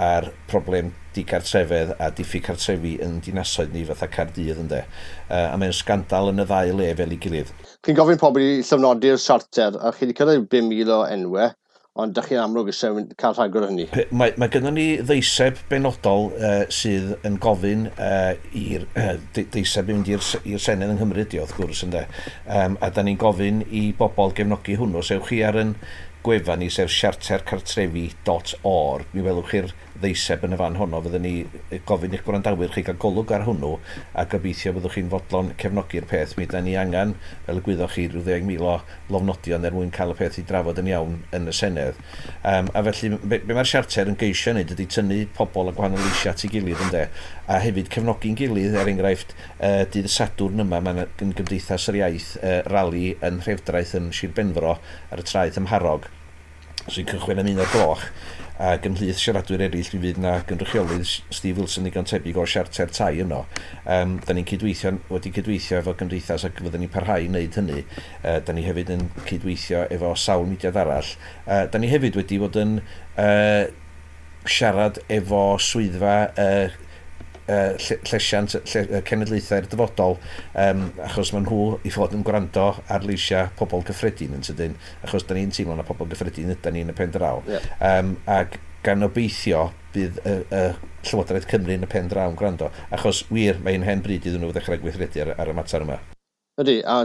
a'r problem digartrefedd a diffyg cartrefi yn dinasoedd ni fatha Caerdydd ynde. Uh, a mae'n sgandal yn y ddau le fel ei gilydd. Chi'n gofyn pobl i llofnodi'r siarter, a chi wedi cyrraedd bum mil o enwau, ond dych chi'n amlwg eisiau cael rhagor o hynny. Mae, mae gynnon ni ddeiseb benodol uh, sydd yn gofyn uh, i'r uh, deiseb i mynd i'r Senedd yng Nghymru, di wrth gwrs ynde. Um, a da ni'n gofyn i bobl gefnogi hwnnw. So ewch chi ar yn gwefan ni, sef siarter cartrefi dot org, mi welwch chi'r ddeiseb yn y fan honno. Fyddwn ni gofyn i'ch gwrandawyr chi gael golwg ar hwnnw a gobeithio byddwch chi'n fodlon cefnogi'r peth. Mi da ni angen, fel y gwyddoch chi, rhyw ddeg mil o lofnodion er mwyn cael y peth i drafod yn iawn yn y Senedd. Um, a felly, be, be mae'r siarter yn geisio wneud ydy tynnu pobl a gwahanol leisiau at ei gilydd, ynde, a hefyd cefnogi'n gilydd. Er enghraifft, uh, dydd Sadwrn yma, mae'n Gymdeithas yr Iaith uh, rali yn Nhrefdraeth yn Sir Benfro ar y traeth ym Mharog, sy'n cychwyn am un o'r gloch, ac ymhlith siaradwyr eraill mi fydd na gynrychiolydd Steve Wilson ddigon tebyg o'r siarter tai yno. Um, da ni'n cydweithio, wedi cydweithio efo gymdeithas ac fyddwn ni'n parhau i wneud hynny. Uh, da ni hefyd yn cydweithio efo sawl mudiad arall. Uh, da ni hefyd wedi bod yn uh, siarad efo swyddfa uh, uh, llesiant lle, cenedlaethau'r dyfodol, um, achos maen nhw i fod yn gwrando ar leisiau pobl gyffredin yn sydyn, achos da ni'n teimlo na pobl gyffredin ydy ni yn y pen draw. Yeah. Um, ac gan obeithio bydd y, y Llywodraeth Cymru yn y pen draw yn gwrando, achos wir mae'n hen bryd iddyn nhw ddechrau gweithredu ar, ar y mater yma. Ydy, a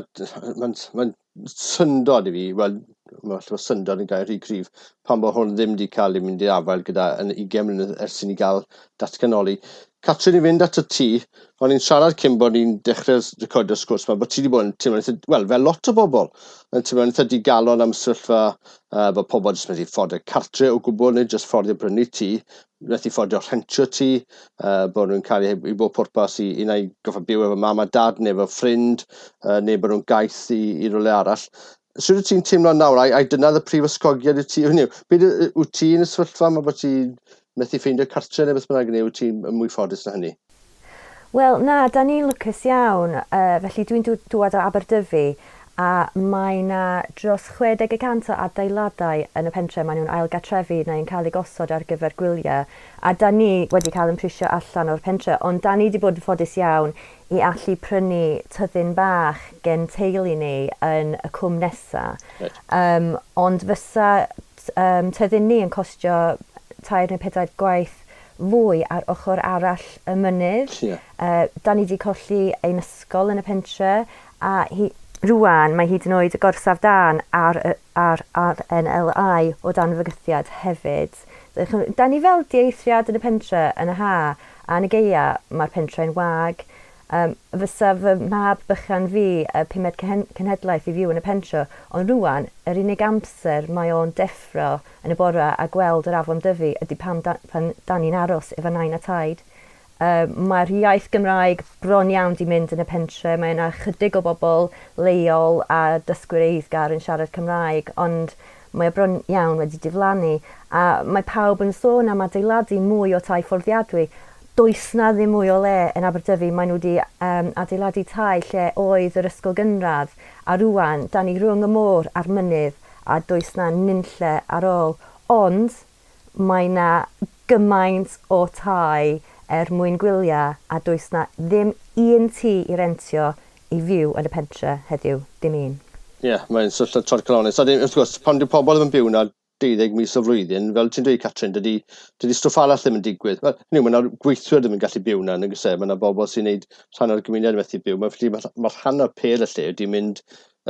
mae'n ma syndod i fi, wel, mae syndod yn gair rhy cryf, pan bod hwn ddim wedi cael ei mynd i'r afael gyda yn ugain mlynedd ers i ni gael datganoli. Catrin, i fynd at y tŷ, o'n i'n siarad cyn bod ni'n dechrau recordio'r sgwrs yma, bod ti wedi bod yn teimlo'n eitha, wel, fel lot o bobl, yn teimlo'n eitha digalon am sefyllfa uh, bod pobl jyst methu fforddio cartre o gwbl, neu jyst fforddio brynu tŷ, methu fforddio rhentio tŷ, uh, bod nhw'n cael ei, i bob pwrpas i, i neu goffa byw efo mam a dad, neu efo ffrind, uh, neu bod nhw'n gaeth i, i rywle arall. Sut wyt ti'n teimlo nawr? Ai, ai dyna y prif ysgogiad i ti? Hynny yw, beth wyt ti yn y sefyllfa yma bod ti'n methu ffeindio cartre neu beth bynnag, neu wyt ti'n mwy ffodus na hynny? Wel, na, da ni'n lwcus iawn. Uh, felly dwi'n dŵad o Aberdyfi, a mae na dros chwe deg y cant o adeiladau yn y pentre maen nhw'n ailgartrefu neu'n cael eu gosod ar gyfer gwyliau. A da ni wedi cael yn prisio allan o'r pentre, ond da ni wedi bod yn ffodus iawn i allu prynu tyddyn bach gen teulu ni yn y cwm nesa. Right. Um, ond fysa um, tyddyn ni yn costio tair neu pedair gwaith fwy ar ochr arall y mynydd. Yeah. Uh, da ni wedi colli ein ysgol yn y pentre, a hi, rwan mae hyd yn oed y gorsaf dan ar, ar, ar R N L I o dan fygythiad hefyd. Da ni fel dieithriad yn y pentre yn y ha, a yn y gaea mae'r pentre'n wag. Um, fysa fy mab bychan fi y pumed cenhedlaeth i fyw yn y pentre, ond rwan, yr unig amser mae o'n deffro yn y bore a gweld yr afon Dyfi ydy pan da, pan da ni'n aros efo nain a taid. Uh, mae'r iaith Gymraeg bron iawn di mynd yn y pentre. Mae yna chydig o bobl leol a dysgwyr eiddgar yn siarad Cymraeg, ond mae o bron iawn wedi diflannu. A mae pawb yn sôn am adeiladu mwy o tai fforddiadwy. Does na ddim mwy o le yn Aberdyfi. Maen nhw wedi um, adeiladu tai lle oedd yr ysgol gynradd. A rwan, da ni rhwng y môr a'r mynydd a does na nunlle ar ôl. Ond mae na gymaint o tai er mwyn gwyliau a does na ddim un tŷ i rentio i fyw yn y pentre heddiw, dim un. Ie, yeah, mae'n sefyllfa torcalonnus. A wrth gwrs, pan dyw pobl ddim yn byw na deuddeg mis o flwyddyn, fel ti'n dweud, Catrin, dydy, dydy stwff arall ddim yn digwydd. Wel, hynny yw, mae yna gweithwyr ddim yn gallu byw na, yn e? Mae yna bobl sy'n gwneud rhan o'r gymuned yn methu byw. Mae, mae, mae rhan o'r apêl y lle wedi mynd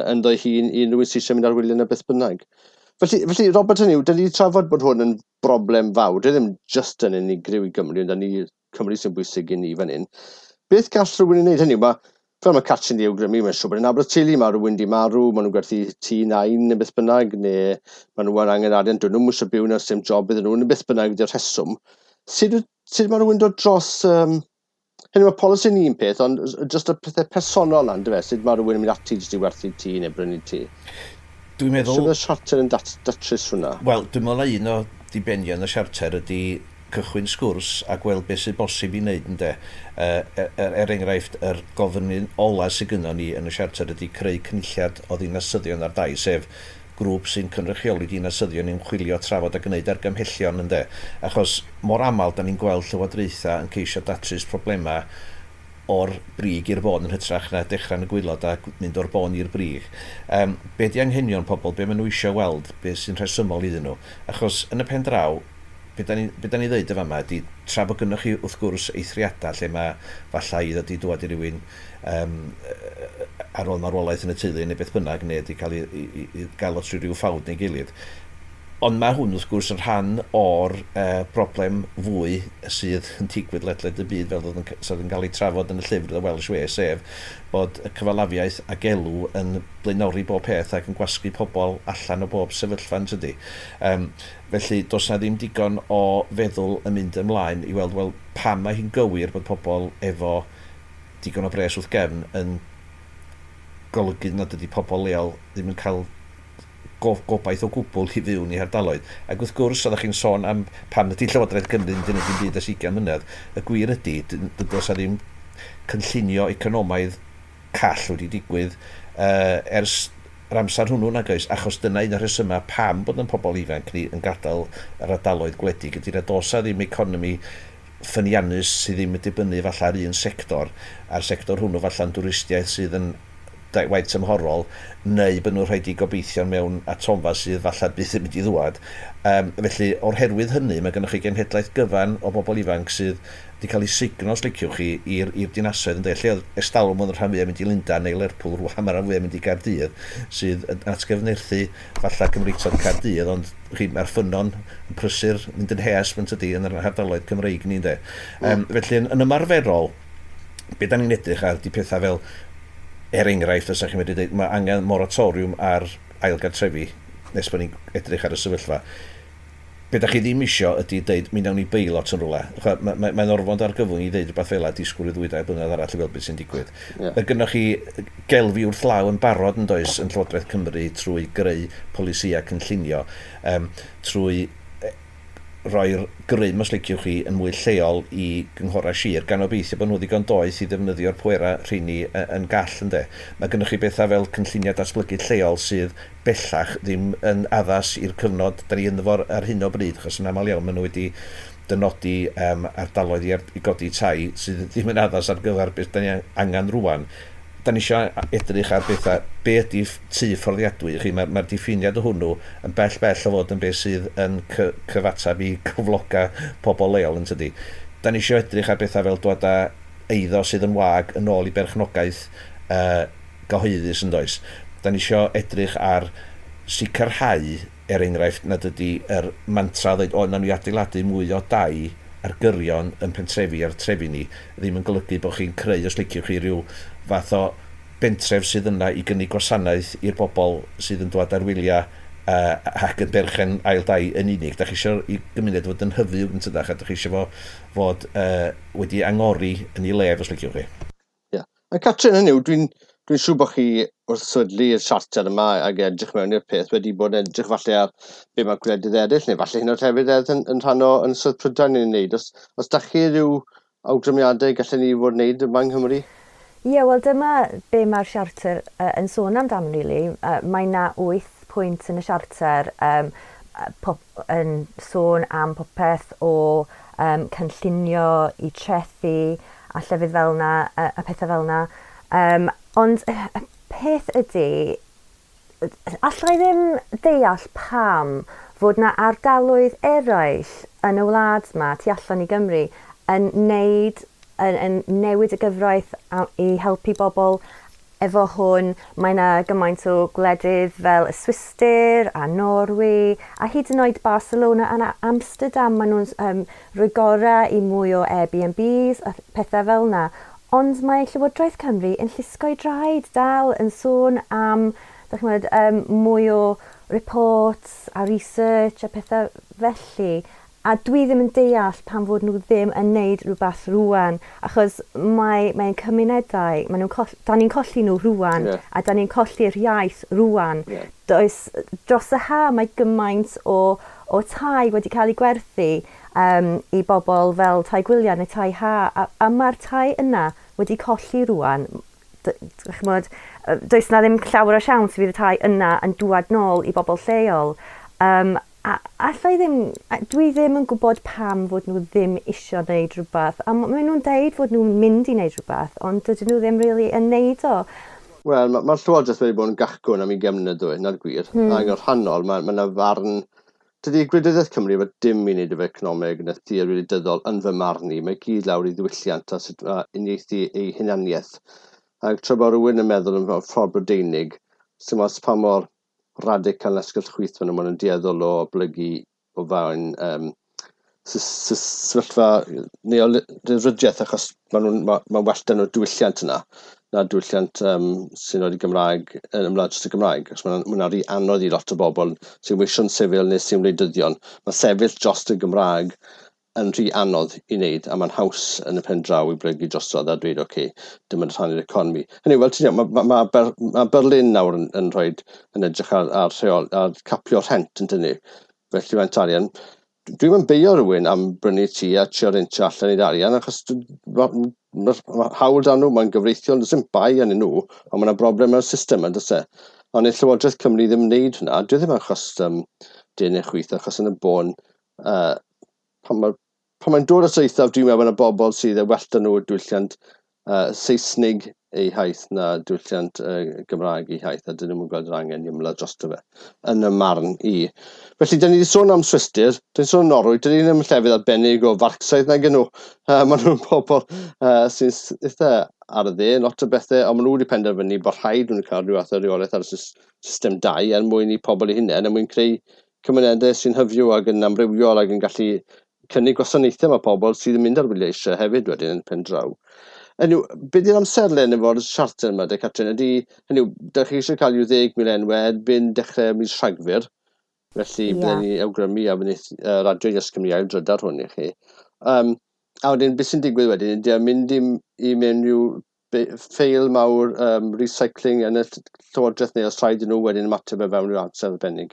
ynddo hun i unrhyw un sydd eisiau mynd ar wyliau neu beth bynnag. Felly, felly Robert, hynny yw, dyn ni wedi trafod bod hwn yn broblem fawr. Dwi ddim just yn unigryw i Gymru, ond ni Cymru sy'n bwysig i ni fan hyn. Beth gall rhywun ei wneud? Hynny yw, mae, fel mae Catrin di awgrymu, mae'n siŵr bod yn nabod teulu, mae rhywun di marw, maen nhw'n gwerthu tŷ nain neu beth bynnag, neu maen nhw angen arian, dyn nhw'n eisiau byw na, dim job iddyn nhw, neu beth bynnag ydy'r rheswm. Sut, sut mae rhywun dod dros... Um, hynny, mae polisi yn un peth, ond just y pethau personol yna, yndyfe? Sut mae rhywun yn mynd ati jyst i werthu tŷ neu brynu tŷ? Dwi'n meddwl... Sut mae'r siarter yn dat datrys hwnna? Wel, dwi'n meddwl na un o dibenion y siarter ydy cychwyn sgwrs a gweld beth sydd bosib i wneud, ynde. Uh, er, er enghraifft, yr gofyn ola sydd gynnon ni yn y siarter ydy creu cynulliad o ddinasyddion ar dai, sef grŵp sy'n cynrychioli dinasyddion yn chwilio, trafod a gwneud argymhellion, ynde. Achos mor aml da ni'n gweld llywodraethau yn ceisio datrys problemau o'r brig i'r bôn yn hytrach na dechrau yn y gwaelod a mynd o'r bôn i'r brig. Um, be di anghenion pobl, be maen nhw eisiau weld, be sy'n rhesymol iddyn nhw? Achos yn y pen draw, be da ni, be da ni ddeud y fama ydy, tra bod gynnwch chi wrth gwrs eithriadau lle mae falla i ddod i dŵad i rywun um, ar ôl marwolaeth yn y teulu neu beth bynnag, neu wedi cael ei, i, i, i gael o trwy ryw ffawd neu gilydd. Ond mae hwn wrth gwrs yn rhan o'r uh, broblem fwy sydd yn digwydd ledled y byd fel oedd yn, sydd yn cael ei trafod yn y llyfr The Welsh Way, sef bod y cyfalafiaeth ac elw yn blaenori bob peth ac yn gwasgu pobl allan o bob sefyllfa yn tydi. Um, felly does na ddim digon o feddwl yn mynd ymlaen i weld, wel, pam mae hi'n gywir bod pobl efo digon o bres wrth gefn yn golygu nad ydy pobl leol ddim yn cael gobaith o gwbl i fyw yn eu hardaloedd. Ac wrth gwrs, oeddech chi'n sôn am pam ydy Llywodraeth Cymru yn gwneud dim byd ers ugain mlynedd, y gwir ydy, does 'na ddim cynllunio economaidd call wedi digwydd uh, ers yr amser hwnnw nag oes, achos dyna un o'r rhesymau pam bod yn pobl ifanc ni yn gadael yr ardaloedd gwledig, ydy na does 'na ddim economi ffyniannus sydd ddim yn dibynnu falle ar un sector, a'r sector hwnnw falla'n dwristiaeth sydd yn waith tymhorol, neu bod nhw'n rhaid i gobeithio mewn atomfa sydd falle byth yn mynd i ddwad. Um, felly, o'r herwydd hynny, mae gennych chi genhedlaeth gyfan o bobl ifanc sydd wedi cael ei sugno, os liciwch chi, i'r dinasoedd yn dweud. Lle oedd estalwm oedd y rhan fwyaf mynd i Lundain neu Lerpwl, rwan mae'r rhan fwyaf mynd i Gaerdydd, sydd yn atgyfnerthu falle Cymreictod Caerdydd, ond chi, mae'r ffynnon yn prysur mynd yn hes, yn tydi, yn yr ardaloedd Cymreig ni, ynde. Um, felly, yn, yn ymarferol, be da ni'n edrych ar di pethau fel, er enghraifft, os ydych chi'n medru dweud, mae angen moratoriwm ar ailgartrefi nes bod ni'n edrych ar y sefyllfa. Be da chi ddim isio ydy dweud, mi nawn ni beilot yn rhywle. Mae'n ma, ma, mae orfod argyfwng i ddeud rhywbeth fel a disgwyl i ddwy dair blynedd arall i weld beth sy'n digwydd. Yeah. Mae gynnoch chi gelfi wrth law yn barod yn does yn Llywodraeth Cymru trwy greu polisïau cynllunio, um, trwy roi'r grym, os liciwch chi, yn mwy lleol i gynghorau sir, gan obeithio bod nhw ddigon doeth i ddefnyddio'r pwerau rheini yn gall, ynde. Mae gennych chi bethau fel cynlluniau datblygu lleol sydd bellach ddim yn addas i'r cyfnod da ni ynddo fo ar hyn o bryd, achos yn aml iawn maen nhw wedi dynodi um, ardaloedd i, i godi tai sydd ddim yn addas ar gyfer beth da ni angen rwan. Da ni eisiau edrych ar bethau, be ydy tŷ fforddiadwy i chi, mae'r mae diffiniad o hwnnw yn bell bell o fod yn beth sydd yn cyfateb i cyfloga pobl leol yn tydi. Da ni eisiau edrych ar bethau fel dod â eiddo sydd yn wag yn ôl i berchnogaeth uh, gyhoeddus yn does. Da ni eisiau edrych ar sicrhau, er enghraifft, nad ydy yr mantra dweud, o, na ni adeiladu mwy o dai ar gyrion yn pentrefi a'r trefi ni, ddim yn golygu bod chi'n creu, os liciwch chi, rhyw fath o bentref sydd yna i gynnig gwasanaeth i'r bobl sydd yn dod ar wyliau uh, ac yn berchen ail dai yn unig. Da chi eisiau i gymuned fod yn hyfyw yn tydach, a da chi eisiau fo fod uh, wedi angori yn ei lef, os liciwch chi. Ie. Yeah. A Catrin, hynny yw, dwi'n dwi siŵr bod chi wrth sefydlu'r siarter yma ac edrych mewn i'r peth wedi bod yn edrych falle ar be mae gwledydd eraill, neu falle hyn o'r hefyd yn, yn rhan o Ynysoedd Prydain yn ei wneud. Os, os da chi rhyw awgrymiadau gallen ni fod wneud yma yng Nghymru? Ie, yeah, wel dyma be mae'r siarter uh, yn sôn amdano, really. Uh, mae na wyth pwynt yn y siarter um, pop, yn sôn am popeth o um, cynllunio i trethu a llefydd fel na, a, a pethau fel na. Um, ond y peth ydy, allai ddim deall pam fod na ardaloedd eraill yn y wlad yma, tu allan i Gymru, yn neud, yn, yn newid y gyfraith i helpu bobl efo hwn. Mae yna gymaint o gwledydd fel y Swistir a Norwy a hyd yn oed Barcelona a Amsterdam. Maen nhw'n um, rhoi gorau i mwy o Airbnbs a pethau fel yna. Ond mae Llywodraeth Cymru yn llusgo'i draed dal yn sôn am dych um, mwy o reports a research a pethau felly. A dwi ddim yn deall pam fod nhw ddim yn neud rhywbeth rwan, achos mae, mae'n cymunedau, mae nhw'n coll, da ni'n colli nhw rwan, yeah. a da ni'n colli'r iaith rwan. Yeah. Does, dros y ha mae gymaint o, o tai wedi cael ei gwerthu um, i bobl fel tai gwyliau neu tai ha, a, a mae'r tai yna wedi colli rwan. Ch'mod, does na ddim llawer o siawns fydd y tai yna yn dŵad nôl i bobl lleol. Um, A allai ddim, dwi ddim yn gwybod pam fod nhw ddim isio wneud rhywbeth. A maen nhw'n deud fod nhw'n mynd i wneud rhywbeth, ond dydyn nhw ddim really yn neud o. Wel, mae'r ma Llywodraeth wedi bod yn gachgwn am ugain mlynedd dwy, na'r gwir. Hmm. Ac yn rhannol, mae yna farn... Dydy gwleidyddiaeth Cymru efo dim i wneud efo economeg na theori wleidyddol yn fy marn i. Mae gyd lawr i ddiwylliant a sut mae uniaethu ei hunaniaeth. Ac tra bod rhywun yn meddwl yn ffordd Brydeinig, sy'n mas pa mor radical asgell chwith fan nhw, maen nhw'n dueddol o blygu o fewn um, sefyllfa neolyrydiaeth, achos maen nhw'n ma, ma well dyn nhw diwylliant yna na diwylliant um, sy'n oed i Gymraeg, yn ymlaen dros y Gymraeg, achos mae'n ma rhy anodd i lot o bobl sy'n weision sifil neu sy'n wleidyddion. Mae sefyll dros y Gymraeg yn rhy anodd i wneud, a mae'n haws yn y pen draw i blygu drosodd a dweud, oce, okay, dim yn rhannu'r economi. Hynny, wel, ti'n iawn, mae ma, ma, Ber, ma Berlin nawr yn, yn rhoi, yn edrych ar, ar, rheol, ar capio rhent yn dynnu. Felly mae'n arian. Dwi'n mynd beio rhywun am brynu tŷ a trio rentio allan i'r arian, achos mae ma hawl dan nhw, mae'n gyfreithiol, does dim bai arnyn nhw, ond mae yna broblem mewn system yn does e. Ond nid Llywodraeth Cymru ddim wneud hwnna, dwi ddim achos um, dyn neu chwith, achos yn y bôn, uh, pan mae pan mae'n dod at eithaf, dwi'n meddwl y bobl sydd yn well nhw diwylliant uh, Saesnig eu haith na diwylliant uh, Gymraeg eu haith, a dyn nhw'n gweld yr angen i ymladd drosto fe, yn y marn i. Felly, dyn ni wedi sôn am Swistir, dyn ni'n sôn am Norwy, dyn ni ddim yn llefydd arbennig o Farcsaidd nag nhw. Uh, maen nhw'n bobl uh, sy'n eitha ar y dde, lot o bethau, ond maen nhw wedi penderfynu bod rhaid nhw'n cael rhyw fath o reolaeth ar y system dau er mwyn i pobl eu hunain, er mwyn creu cymunedau sy'n hyfyw ac yn amrywiol ac yn gallu cynnig gwasanaethau mae pobl sydd yn mynd ar wyliau eisiau hefyd wedyn yn pen draw. Hynny yw, be di'r amserlen efo'r siarter yma, de Catrin? Ydy, hynny yw, dych chi eisiau cael i'w ddeg mil enwau erbyn dechrau mis Rhagfyr, felly yeah. Byddwn ni awgrymu a fydd uh, Radio Yes Cymru ail drydar hwn i chi. Um, a wedyn, beth sy'n digwydd wedyn, ydy mynd i, i mewn i'w ffeil mawr um, recycling yn y llywodraeth neu os rhaid i nhw wedyn ymateb e fewn i'w amser arbennig?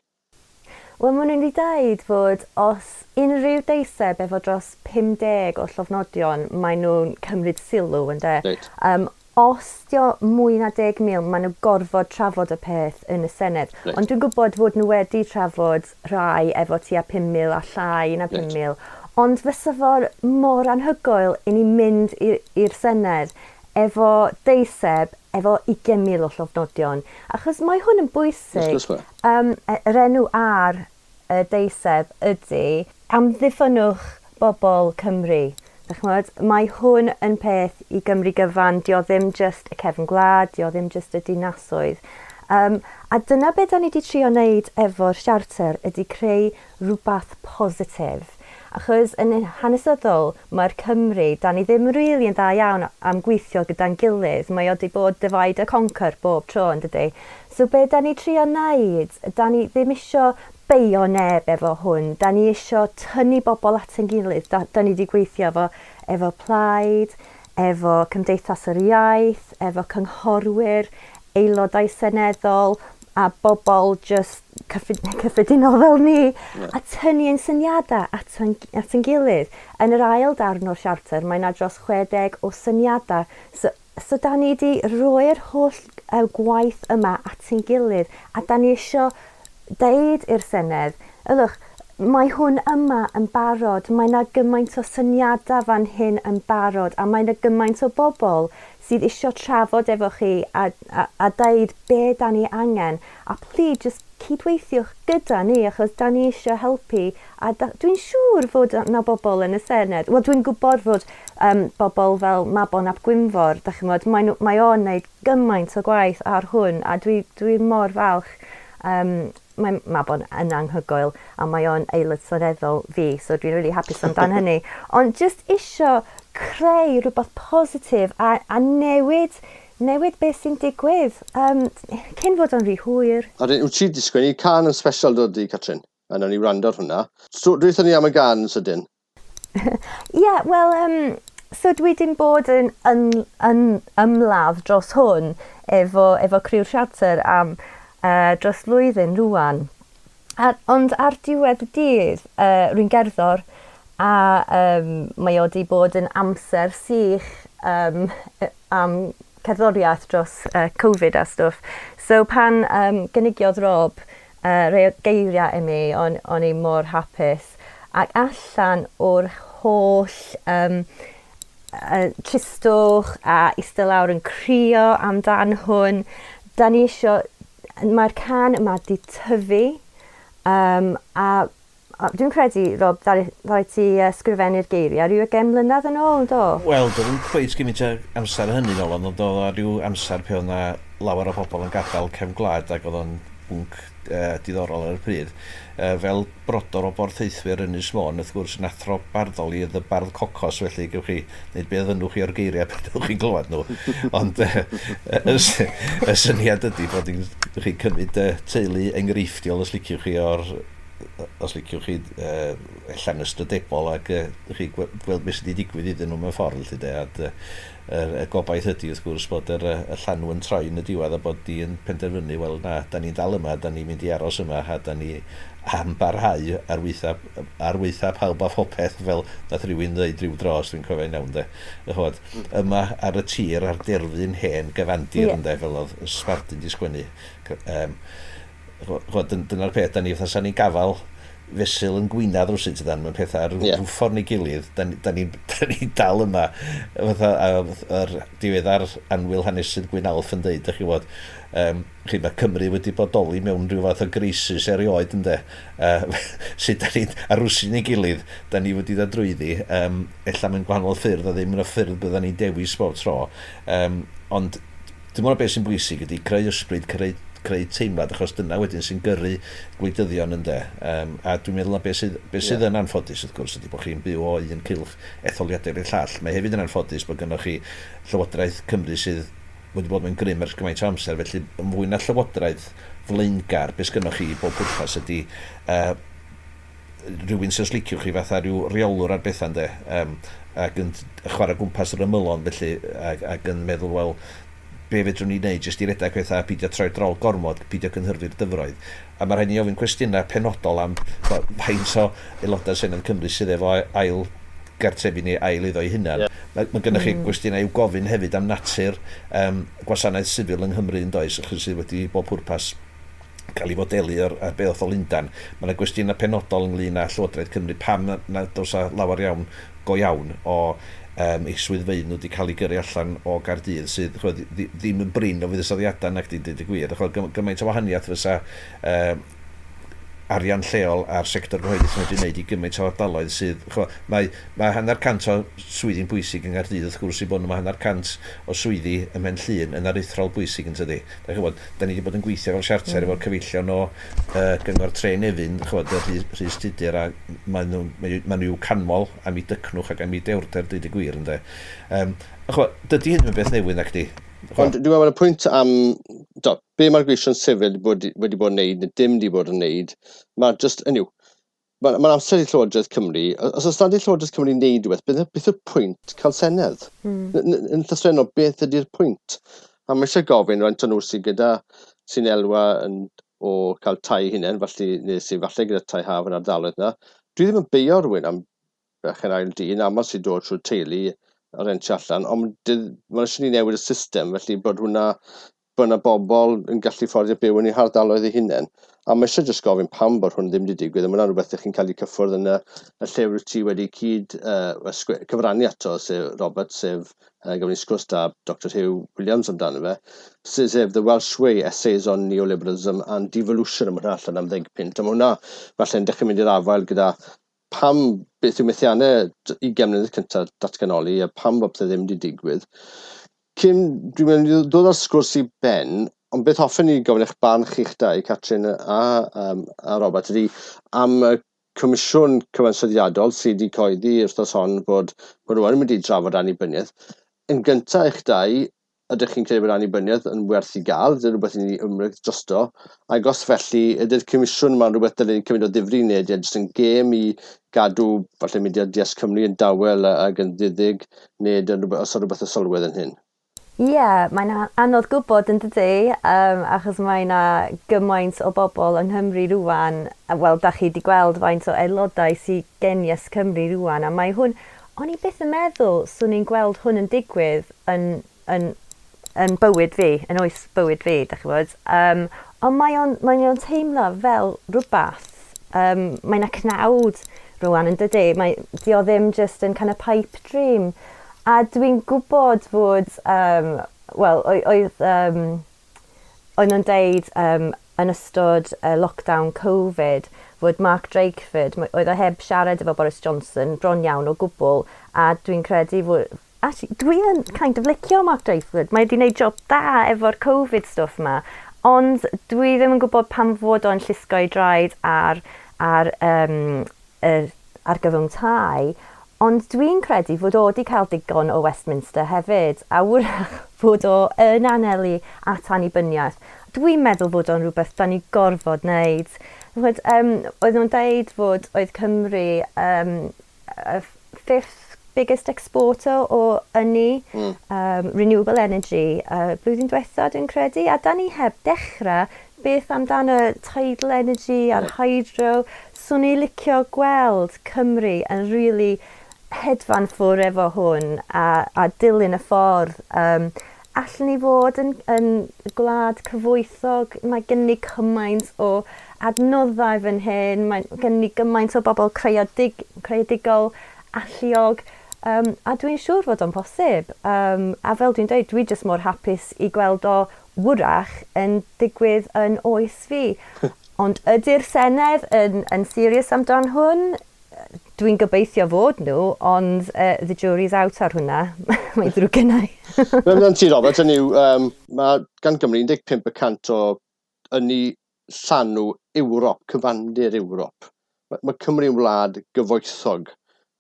Wel, maen nhw'n wedi dweud fod os unrhyw deiseb efo dros pum deg o llofnodion, maen nhw'n cymryd sylw, ynde? Reit. Um, os dio mwy na deg mil, maen nhw gorfod trafod y peth yn y Senedd. Reit. Ond dwi'n gwybod fod nhw wedi trafod rhai efo tua pum mil a llai na pum Reit. mil. Ond fysa fo'r mor anhygoel i ni mynd i'r Senedd efo deiseb efo ugain mil o llofnodion. Achos mae hwn yn bwysig. Wrth gwrs mae. Um, yr enw ar y deiseb ydy amddiffynnwch bobl Cymru. Ch'mod, mae hwn yn peth i Gymru gyfan, dio ddim just y cefn gwlad, dio ddim just y dinasoedd. Um, a dyna beth da ni wedi trio wneud efo'r siarter ydy creu rhywbeth positif. Achos yn hanesyddol, mae'r Cymru, da ni ddim rili yn dda iawn am gweithio gyda'n gilydd. Mae o wedi bod divide a conquer bob tro, yn dydi? So be da ni trio wneud, da ni ddim isio beio neb efo hwn. Da ni isio tynnu bobl at ein gilydd. Da, da ni wedi gweithio efo, efo Plaid, efo Cymdeithas yr Iaith, efo cynghorwyr, aelodau seneddol, a bobl just cyffredinol fel ni, yeah. A tynnu ein syniadau at ein, at ein gilydd. Yn yr ail darn o'r siarter, mae yna dros chwe deg o syniadau. So, so da ni wedi roi'r holl uh, gwaith yma at ein gilydd, a da ni isio deud i'r Senedd, ylwch, mae hwn yma yn barod, mae yna gymaint o syniadau fan hyn yn barod, a mae yna gymaint o bobl sydd isio trafod efo chi a, a, a deud be da ni angen. A please, just cydweithiwch gyda ni, achos da ni isio helpu. A da, dwi'n siŵr fod yna bobl yn y Senedd. Wel, dwi'n gwybod fod um, bobl fel Mabon ap Gwynfor, da chi'n gwybod, mae, mae o'n wneud gymaint o gwaith ar hwn, a dwi, dwi mor falch. Um, mae Mabon yn anghygoel a mae o'n aelod seneddol fi, so dwi'n really hapus amdan hynny. Ond just isio creu rhywbeth positif a, a newid, newid beth sy'n digwydd um, cyn fod o'n rhy hwyr. A dyn, wyt ti wedi sgwennu can yn special dod di, Catrin? A nawn ni wrando ar hwnna. So, dweud ni am y gan yn sydyn? Ie, yeah, wel, um, so dwi wedi bod yn, yn, yn ymladd dros hwn efo, efo criw'r siarter am Uh, dros flwyddyn rŵan. A, ond ar diwedd y dydd, uh, rwy'n gerddor, a um, mae o wedi bod yn amser sych um, am cerddoriaeth dros uh, Covid a stwff. So pan um, gynigiodd Rob uh, rhai o geiriau i mi, o'n, o'n i mor hapus. Ac allan o'r holl um, uh, tristwch a eistedd lawr yn crio amdan hwn, da ni isio, mae'r can yma di tyfu, um, a, a dwi'n credu, Rob, ddaru, ddaru ti uh, sgrifennu'r geiriau rhyw ugain mlynedd yn ôl, do? Wel, doedd ddim cweit gymaint o amser hynny nôl, ond oedd o rhyw amser pe oedd 'na lawer o bobl yn gadael cefn gwlad ac oedd o'n bwnc uh, diddorol ar y pryd. Uh, fel brodor o borthaethwyr Ynys Môn, wrth gwrs yn athro barddol i y bardd cocos, felly gewch chi wneud beth fynnwch chi o'r geiriau beth ydych chi'n glywed nhw. Ond uh, y, y syniad ydy bod chi'n cymryd uh, teulu enghreifftiol, os liciwch chi, o'r os liciwch chi uh, allan ystrydebol ac uh, chi gweld beth sydd wedi digwydd iddyn nhw mewn ffordd, felly de, a y, y gobaith ydy wrth gwrs bod yr, y llanw yn troi yn y diwedd a bod di yn penderfynu, wel na, da ni'n dal yma, da ni'n mynd i aros yma a da ni am barhau ar weitha, ar weitha pawb a phopeth, fel nath rhywun ddeud rhyw dro, os dwi'n cofio'n iawn de. Ch'mod, yma ar y tir, ar derfyn hen gyfandir, yeah, ynde, fel oedd y Sbardun di sgwennu. Um, ch'mod, dyna'r peth, da ni fatha sa'n ni'n gafal fesul yn gwynedd rwsut ydan, mewn pethau ar yeah. ffordd neu gilydd, da, da ni'n da ni dal yma, fatha yr diweddar annwyl hanesydd Gwyn Alf yn deud, dych chi wybod, um, chi, mae Cymru wedi bodoli mewn rhyw fath o grisis erioed, ynde, uh, sut da ni'n, ar rwsyn ei gilydd, da ni wedi dod drwyddi, um, ella mewn gwahanol ffyrdd, a ddim yn y ffyrdd bydda ni'n dewis bob tro, um, ond dwi'n meddwl beth sy'n bwysig ydy creu ysbryd, creu creu teimlad, achos dyna wedyn sy'n gyrru gwleidyddion, ynde. Um, a dwi'n meddwl na beth sydd, beth sydd yeah. yn anffodus, wrth gwrs, ydy bod chi'n byw o un cylch etholiadau i'r llall. Mae hefyd yn anffodus bod gennych chi Llywodraeth Cymru sydd wedi bod mewn grym ers gymaint o amser, felly yn fwy na llywodraeth flaengar, beth sgynnoch chi i bob pwrpas ydy uh, rhywun sy'n sliciwch chi fatha rhyw reolwr ar bethau, ynde, um, ac yn chwarae gwmpas yr ymylon felly, ac, ac yn meddwl, wel, be fedrwn ni wneud jyst i redeg pethau a peidio troi drol gormod, peidio cynhyrfu'r dyfroedd. A mae rhaid ni ofyn cwestiynau penodol am faint o aelodau Senedd Cymru sydd efo ail gartrefi neu ail iddo ei hunan. Yeah. Mae, mae gennych chi mm. gwestiynau i'w gofyn hefyd am natur um, gwasanaeth sifil yng Nghymru yn does, achos sydd wedi bob pwrpas cael ei fodelu ar, ar beth o Lundan. Mae yna gwestiynau penodol ynglyn â Llywodraeth Cymru, pam nad oes lawer iawn go iawn o um, eu swyddfeydd nhw wedi cael eu gyrru allan o Gaerdydd, sydd ch'mod, ddim yn brin o fuddsoddiadau nac di, dweud y gwir. Ch'mod, gymaint o wahaniaeth fysa um, arian lleol a'r sector gyhoeddus yn medru wneud i gymaint o ardaloedd sydd, ch'mod, mae, mae hanner cant o swyddi'n bwysig yng Nghaerdydd, wrth gwrs i bod nhw, mae hanner cant o swyddi ym Mhen Llŷn yn aruthrol bwysig yn tydi. Da ch'mod, da ni wedi bod yn gweithio fel siarter mm. efo'r cyfeillion o uh, Gyngor Tre Nefyn, ch'mod, Rhys Tudur, a maen nhw, maen nhw i'w canmol am eu dycnwch ac am eu dewrder, dweud y gwir, ynde. Um, a ch'mod, dydy hyn yn beth newydd nac di. Ond dwi'n meddwl y pwynt am do, be mae'r gweision sifil wedi, wedi bod yn neud, neu dim wedi bod yn neud, mae just, ynyw, mae'n ma amser i Llywodraeth Cymru, os oes nad i Llywodraeth Cymru wneud rhywbeth, beth, beth yw'r pwynt cael Senedd? Mm. Yn llythrennol, beth ydy'r pwynt? A mae eisiau gofyn rhaid nhw sydd gyda, sy'n elwa yn, o cael tai hunain, falle, neu sy'n falle gyda tai haf yn ardaloedd yna. Dwi ddim yn beio rhywun am berchen ail dŷ, yn aml sy'n dod trwy'r teulu a rentio allan, ond mae'n eisiau ni newid y system, felly bod hwnna, bod yna bobl yn gallu fforddio byw yn eu hardaloedd eu hunain. A mae eisiau jyst gofyn pam bod hwn ddim wedi digwydd, a mae hwnna'n rhywbeth ych chi'n cael ei cyffwrdd yn y, y llyfr ti wedi cyd uh, cyfrannu ato, sef Robert, sef uh, gafon ni sgwrs da Doctor Hugh Williams amdano fe, sef The Welsh Way, Essays on Neoliberalism and Devolution, a mae hwnna allan am ddeg punt. A mae hwnna falle'n dechrau mynd i'r afael gyda pam beth yw methiannau ugain mlynedd cyntaf datganoli a pam bod pethau ddim wedi digwydd. Cyn, dwi'n mynd i ddod â'r sgwrs i ben, ond beth hoffen ni gofyn eich barn chi'ch dau, Catrin a, um, a Robert, ydy am y Comisiwn Cyfansoddiadol sydd wedi coeddi wythnos hon bod, bod nhw yn mynd i drafod annibyniaeth. Yn gyntaf eich dau, ydych chi'n credu bod annibyniaeth yn werth i gael, ydy rhywbeth i ni ymryd drosto, ac os felly, ydy'r comisiwn yma'n rhywbeth dylen ni cymryd o ddifri neu ydy e jyst yn gêm i gadw falle mudiad Yes Cymru yn dawel ac yn ddiddig, neu ydy rhywbeth, os yw rhywbeth o sylwedd yn hyn? Ie, yeah, mae'n anodd gwybod yn dydy, um, achos mae yna gymaint o bobl yng Nghymru rwan, wel, da chi wedi gweld faint o aelodau sydd gen Yes Cymru rwan, a mae hwn, o'n i byth yn meddwl swn i'n gweld hwn yn digwydd yn, yn, yn bywyd fi, yn oes bywyd fi, da chi bod. Um, ond mae o'n, mae o'n teimlo fel rhywbeth, um, mae yna cnawd rwan yn dydy, mae, di o ddim just yn kind of pipe dream. A dwi'n gwybod fod, um, wel, oedd, um, oedd nhw'n deud um, yn ystod uh, lockdown Covid fod Mark Drakeford, oedd o heb siarad efo Boris Johnson bron iawn o gwbl, a dwi'n credu fod, actually, dwi yn kind of licio Mark Drakeford, mae wedi gwneud job da efo'r Covid stuff yma, Ond dwi ddim yn gwybod pam fod o'n llusgo ei draed ar, ar, um, yr argyfwng tai, ond dwi'n credu fod o wedi cael digon o Westminster hefyd, a wrach fod o yn anelu at annibyniaeth. Dwi'n meddwl fod o'n rhywbeth da ni gorfod wneud. Ch'mod, um, oedd nhw'n deud fod oedd Cymru um, y fifth biggest exporter o ynni, mm. um, renewable energy, uh, blwyddyn diwetha dwi'n credu, a da ni heb dechrau beth amdano tidal energy a'r hydro. Swn i licio gweld Cymru yn really hedfan ffwr efo hwn a, a dilyn y ffordd. Um, allwn ni fod yn, yn gwlad cyfoethog, mae gen ni cymaint o adnoddau fan hyn, mae gen ni gymaint o bobl creadig, creadigol, alluog, um, a dwi'n siŵr fod o'n posib. Um, a fel dwi'n dweud, dwi jyst mor hapus i gweld o wrach yn digwydd yn oes fi. Ond ydy'r Senedd yn, yn serious amdan hwn? Dwi'n gobeithio fod nhw, ond uh, the jury's out ar hwnna. Mae'n ddrwg gennau. Fe amdan ti, Robert, hynny yw, um, mae gan Gymru un deg pump y cant o ynni llanw Ewrop, cyfandir Ewrop. Mae, mae Cymru'n wlad gyfoethog.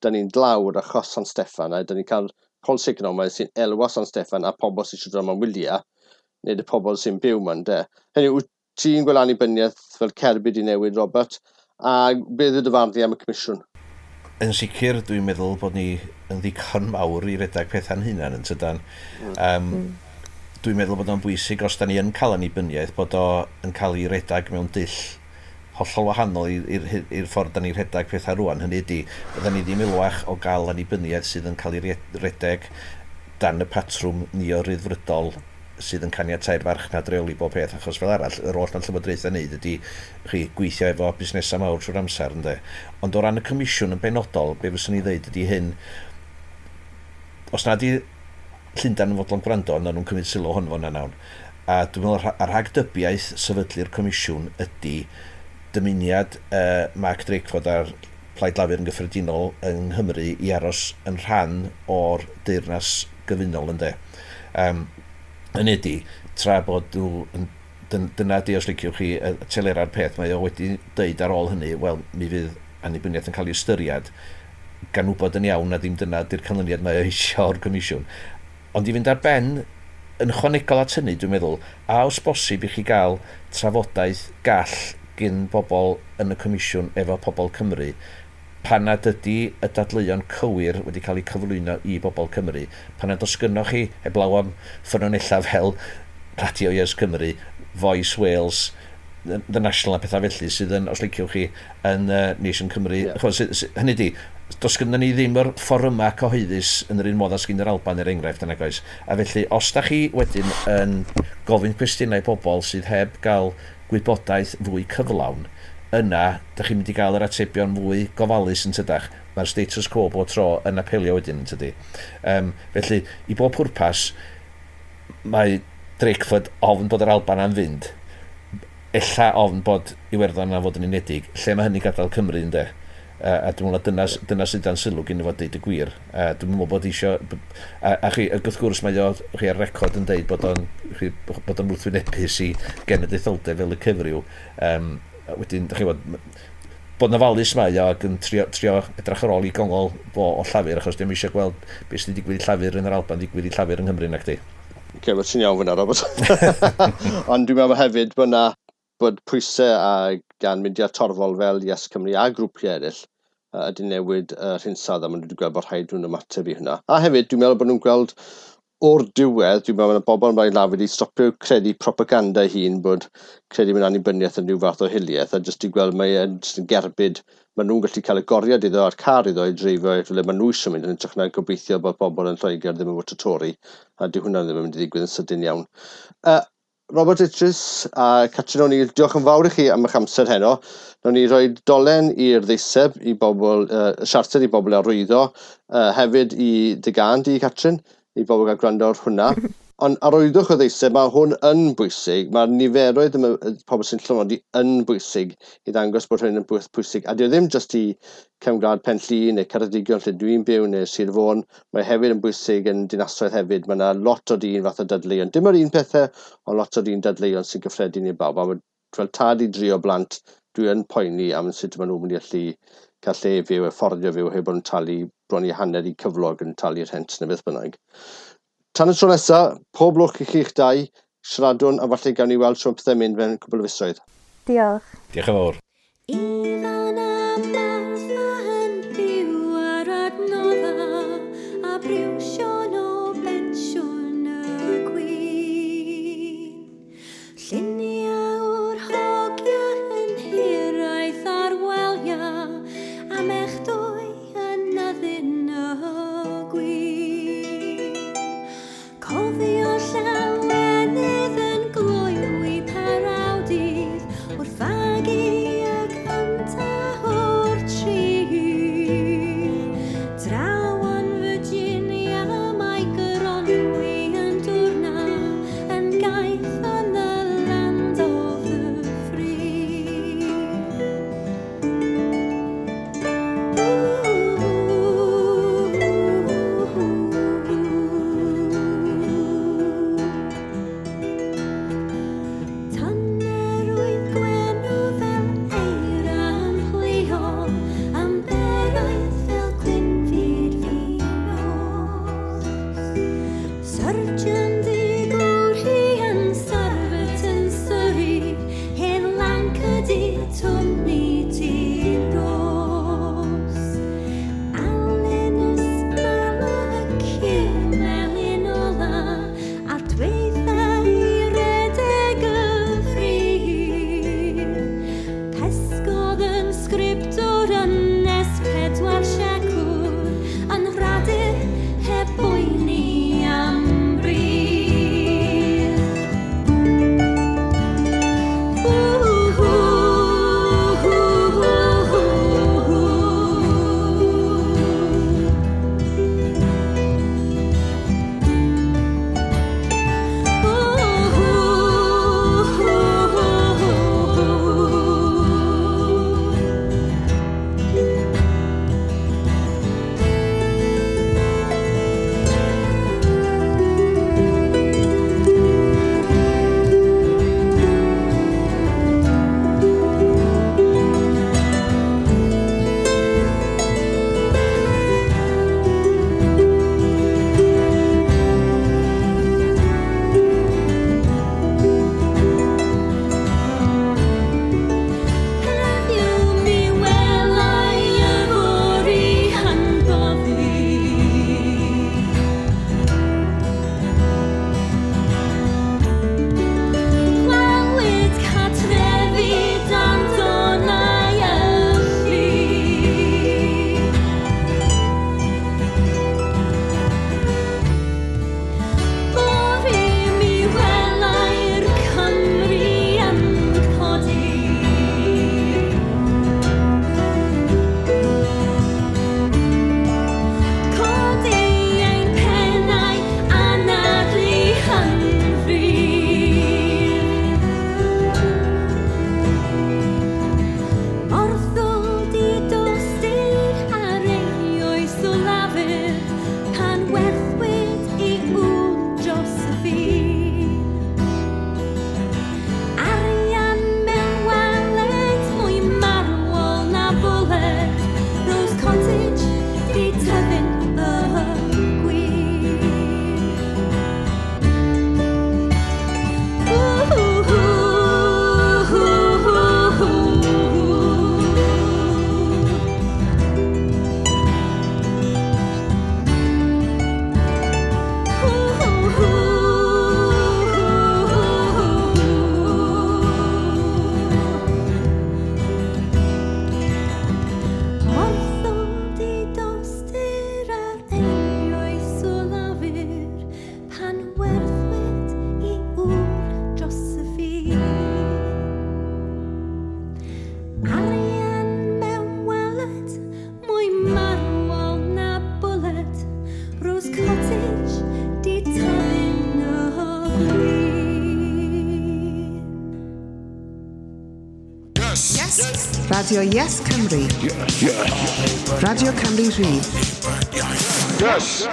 Da ni'n dlawd achos San Steffan, a da ni'n cael polisi economaidd sy'n elwa San Steffan a pobl sy'n eisiau dod am wyliau, neu y pobl sy'n byw ma'n de. Hynny yw, wyt ti'n gweld annibyniaeth fel cerbyd i newid, Robert, a beth yw dy farn di am y comisiwn? Yn sicr, dwi'n meddwl bod ni yn ddigon mawr i redag pethau'n hunan yn tydan. Um, dwi'n meddwl bod o'n bwysig os da ni yn cael annibyniaeth bod o yn cael ei redag mewn dull hollol wahanol i'r i'r ffordd da ni'n rhedeg pethau rwan. Hynny ydy, bydda ni ddim elwach o gael annibyniaeth sydd yn cael ei redeg dan y patrwm neo-ryddfrydol sydd yn caniatau'r farchnad reoli bob peth, achos fel arall, yr oll ma'n llywodraethau wneud ydy chi gweithio efo busnesau mawr trwy'r amser, ynde. Ond o ran y comisiwn yn benodol, be fyswn i ddeud ydy hyn: os na di Llundain yn fodlon gwrando, na nhw'n cymryd sylw hwn fo'n nawr. A dwi'n meddwl ar rhagdybiaeth sefydlu'r comisiwn ydy dymuniad uh, Mark Drakeford a'r Plaid Lafur yn gyffredinol yng Nghymru i aros yn rhan o'r Deyrnas Gyfunol, ynde. Um, yn ydy, tra bod nhw yn, dyna di, os liciwch chi, y telera'r peth, mae o wedi deud ar ôl hynny, wel, mi fydd annibyniaeth yn cael ei ystyried, gan wybod yn iawn na ddim dyna di'r canlyniad mae o eisiau o'r comisiwn. Ond i fynd ar ben yn chwanegol at hynny, dwi'n meddwl, a os bosib i chi gael trafodaeth gall gyn bobl yn y comisiwn efo pobl Cymru, pan nad ydy y dadleuon cywir wedi cael eu cyflwyno i bobl Cymru, pan nad oes gynnoch chi, heblaw am ffynonellau fel Radio Yes Cymru, Voice Wales, The National a pethau felly sydd yn, os liciwch chi, yn uh, Nation Cymru. Yeah. Chos, hynny di, does gynnon ni ddim yr fforymau cyhoeddus yn yr un modd â sgyn yr Alban er enghraifft yna, oes. A felly, os da chi wedyn yn gofyn cwestiynau pobl sydd heb gael gwybodaeth fwy cyflawn, yna, da chi'n mynd i gael yr atebion fwy gofalus yn tydach. Mae'r status quo bob tro yn apelio wedyn yn tydi. Um, felly, i bob pwrpas, mae Drakeford ofn bod yr Alban am fynd, ella ofn bod Iwerddon am fod yn unedig, lle mae hynny gadael Cymru, ynde? Uh, a dwi'n meddwl na dyna, dyna sydd dan sylw gen i fod deud y gwir. Uh, dwi'n meddwl bod eisiau. A, a chi, wrth gwrs mae o chi ar record yn deud bod o'n, chi, bod o'n wrthwynebus i genedlaetholdeb fel y cyfryw. Um, wedyn, da chi bod, bod na falus mae o ac yn trio, trio edrych ar ôl i gongol fo o Llafur, achos dim eisiau gweld beth sydd wedi digwydd i Llafur yn yr Alban digwydd i Llafur yng Nghymru, nac di. Oce, okay, ti'n iawn fyna, Robert. Ond dwi'n meddwl hefyd bod na bod pwysau a gan mudiad torfol fel Yes Cymru a grwpiau eraill uh, ydy newid yr uh, hinsawdd a maen nhw wedi gweld bod rhaid nhw'n ymateb i hynna. A hefyd, dwi'n meddwl bod nhw'n gweld o'r diwedd, dwi'n meddwl bod bobl yn Blaid Lafur wedi stopio credu propaganda hun bod credu mewn annibyniaeth yn rhyw fath o hiliaeth a jyst i gweld mae e'n jyst yn gerbyd maen nhw'n gallu cael y goriad iddo a'r car iddo i dreifio i'r rhywle maen nhw eisiau mynd yn hytrach na gobeithio bod bobl yn Lloegr ddim yn fod Tory a dyw hwnna ddim yn mynd i ddigwydd yn sydyn iawn. Uh, Robert Idris a Catrin O'Neill, diolch yn fawr i chi am eich amser heno. Nawn ni roi dolen i'r ddeiseb i bobl, uh, siarter i bobl arwyddo, uh, hefyd i dy gân di, Catrin, i bobl gael gwrando ar hwnna. Ond arwyddwch o ddeiseb, mae hwn yn bwysig, mae'r niferoedd y pobl sy'n llofnodi yn bwysig i ddangos bod hyn yn bwysig. A dio ddim jyst i cefn gwlad Pen Llŷn neu Ceredigion lle dwi'n byw neu Sir Fôn, mae hefyd yn bwysig yn dinasoedd hefyd. Mae yna lot o dyn fath o dadleuon. Dim yr un pethau, ond lot o dyn dadleuon sy'n gyffredin i bawb. A fel tad i dri o blant, dwi yn poeni am sut maen nhw'n mynd i allu cael lle fyw, a fforddio fyw, heb bod yn talu bron i hanner i cyflog yn talu rhent neu beth bynnag. Tan y tro nesaf, pob lwc i chi'ch dau, siaradwn a falle gawn ni weld trwy pethau'n mynd mewn cwbl o fisoedd. Diolch. Diolch yn fawr. Ifan a Martha yn byw ar adnodda a briwsion o bensiwn y gwyn. Lluniau o'r hogia yn hiraeth ar welia a mech dwy yn addun y gwyn. Cofio llawenydd yn gloywi parawdydd wrth fagu y cynta o'r tri. Draw yn Virginia mae Goronwy yn dwrna yn gaeth yn the land of the free. Tannerwydd gwenu fel eira yn chwilio am beraidd fel gwynfyd finos. Surgeon digwr hi yn sarfet yn Surrey, hen lanc ydi twmni tir ros. Alun ysmala y cyw melyn ola, a dweitha i redeg y ffrir. Pesgodd yn sgriptwr yn nes pedwar siacwr, yn radur heb boeni am bris. Radio Yes Cymru. Radio Cymru Rhydd. Yes!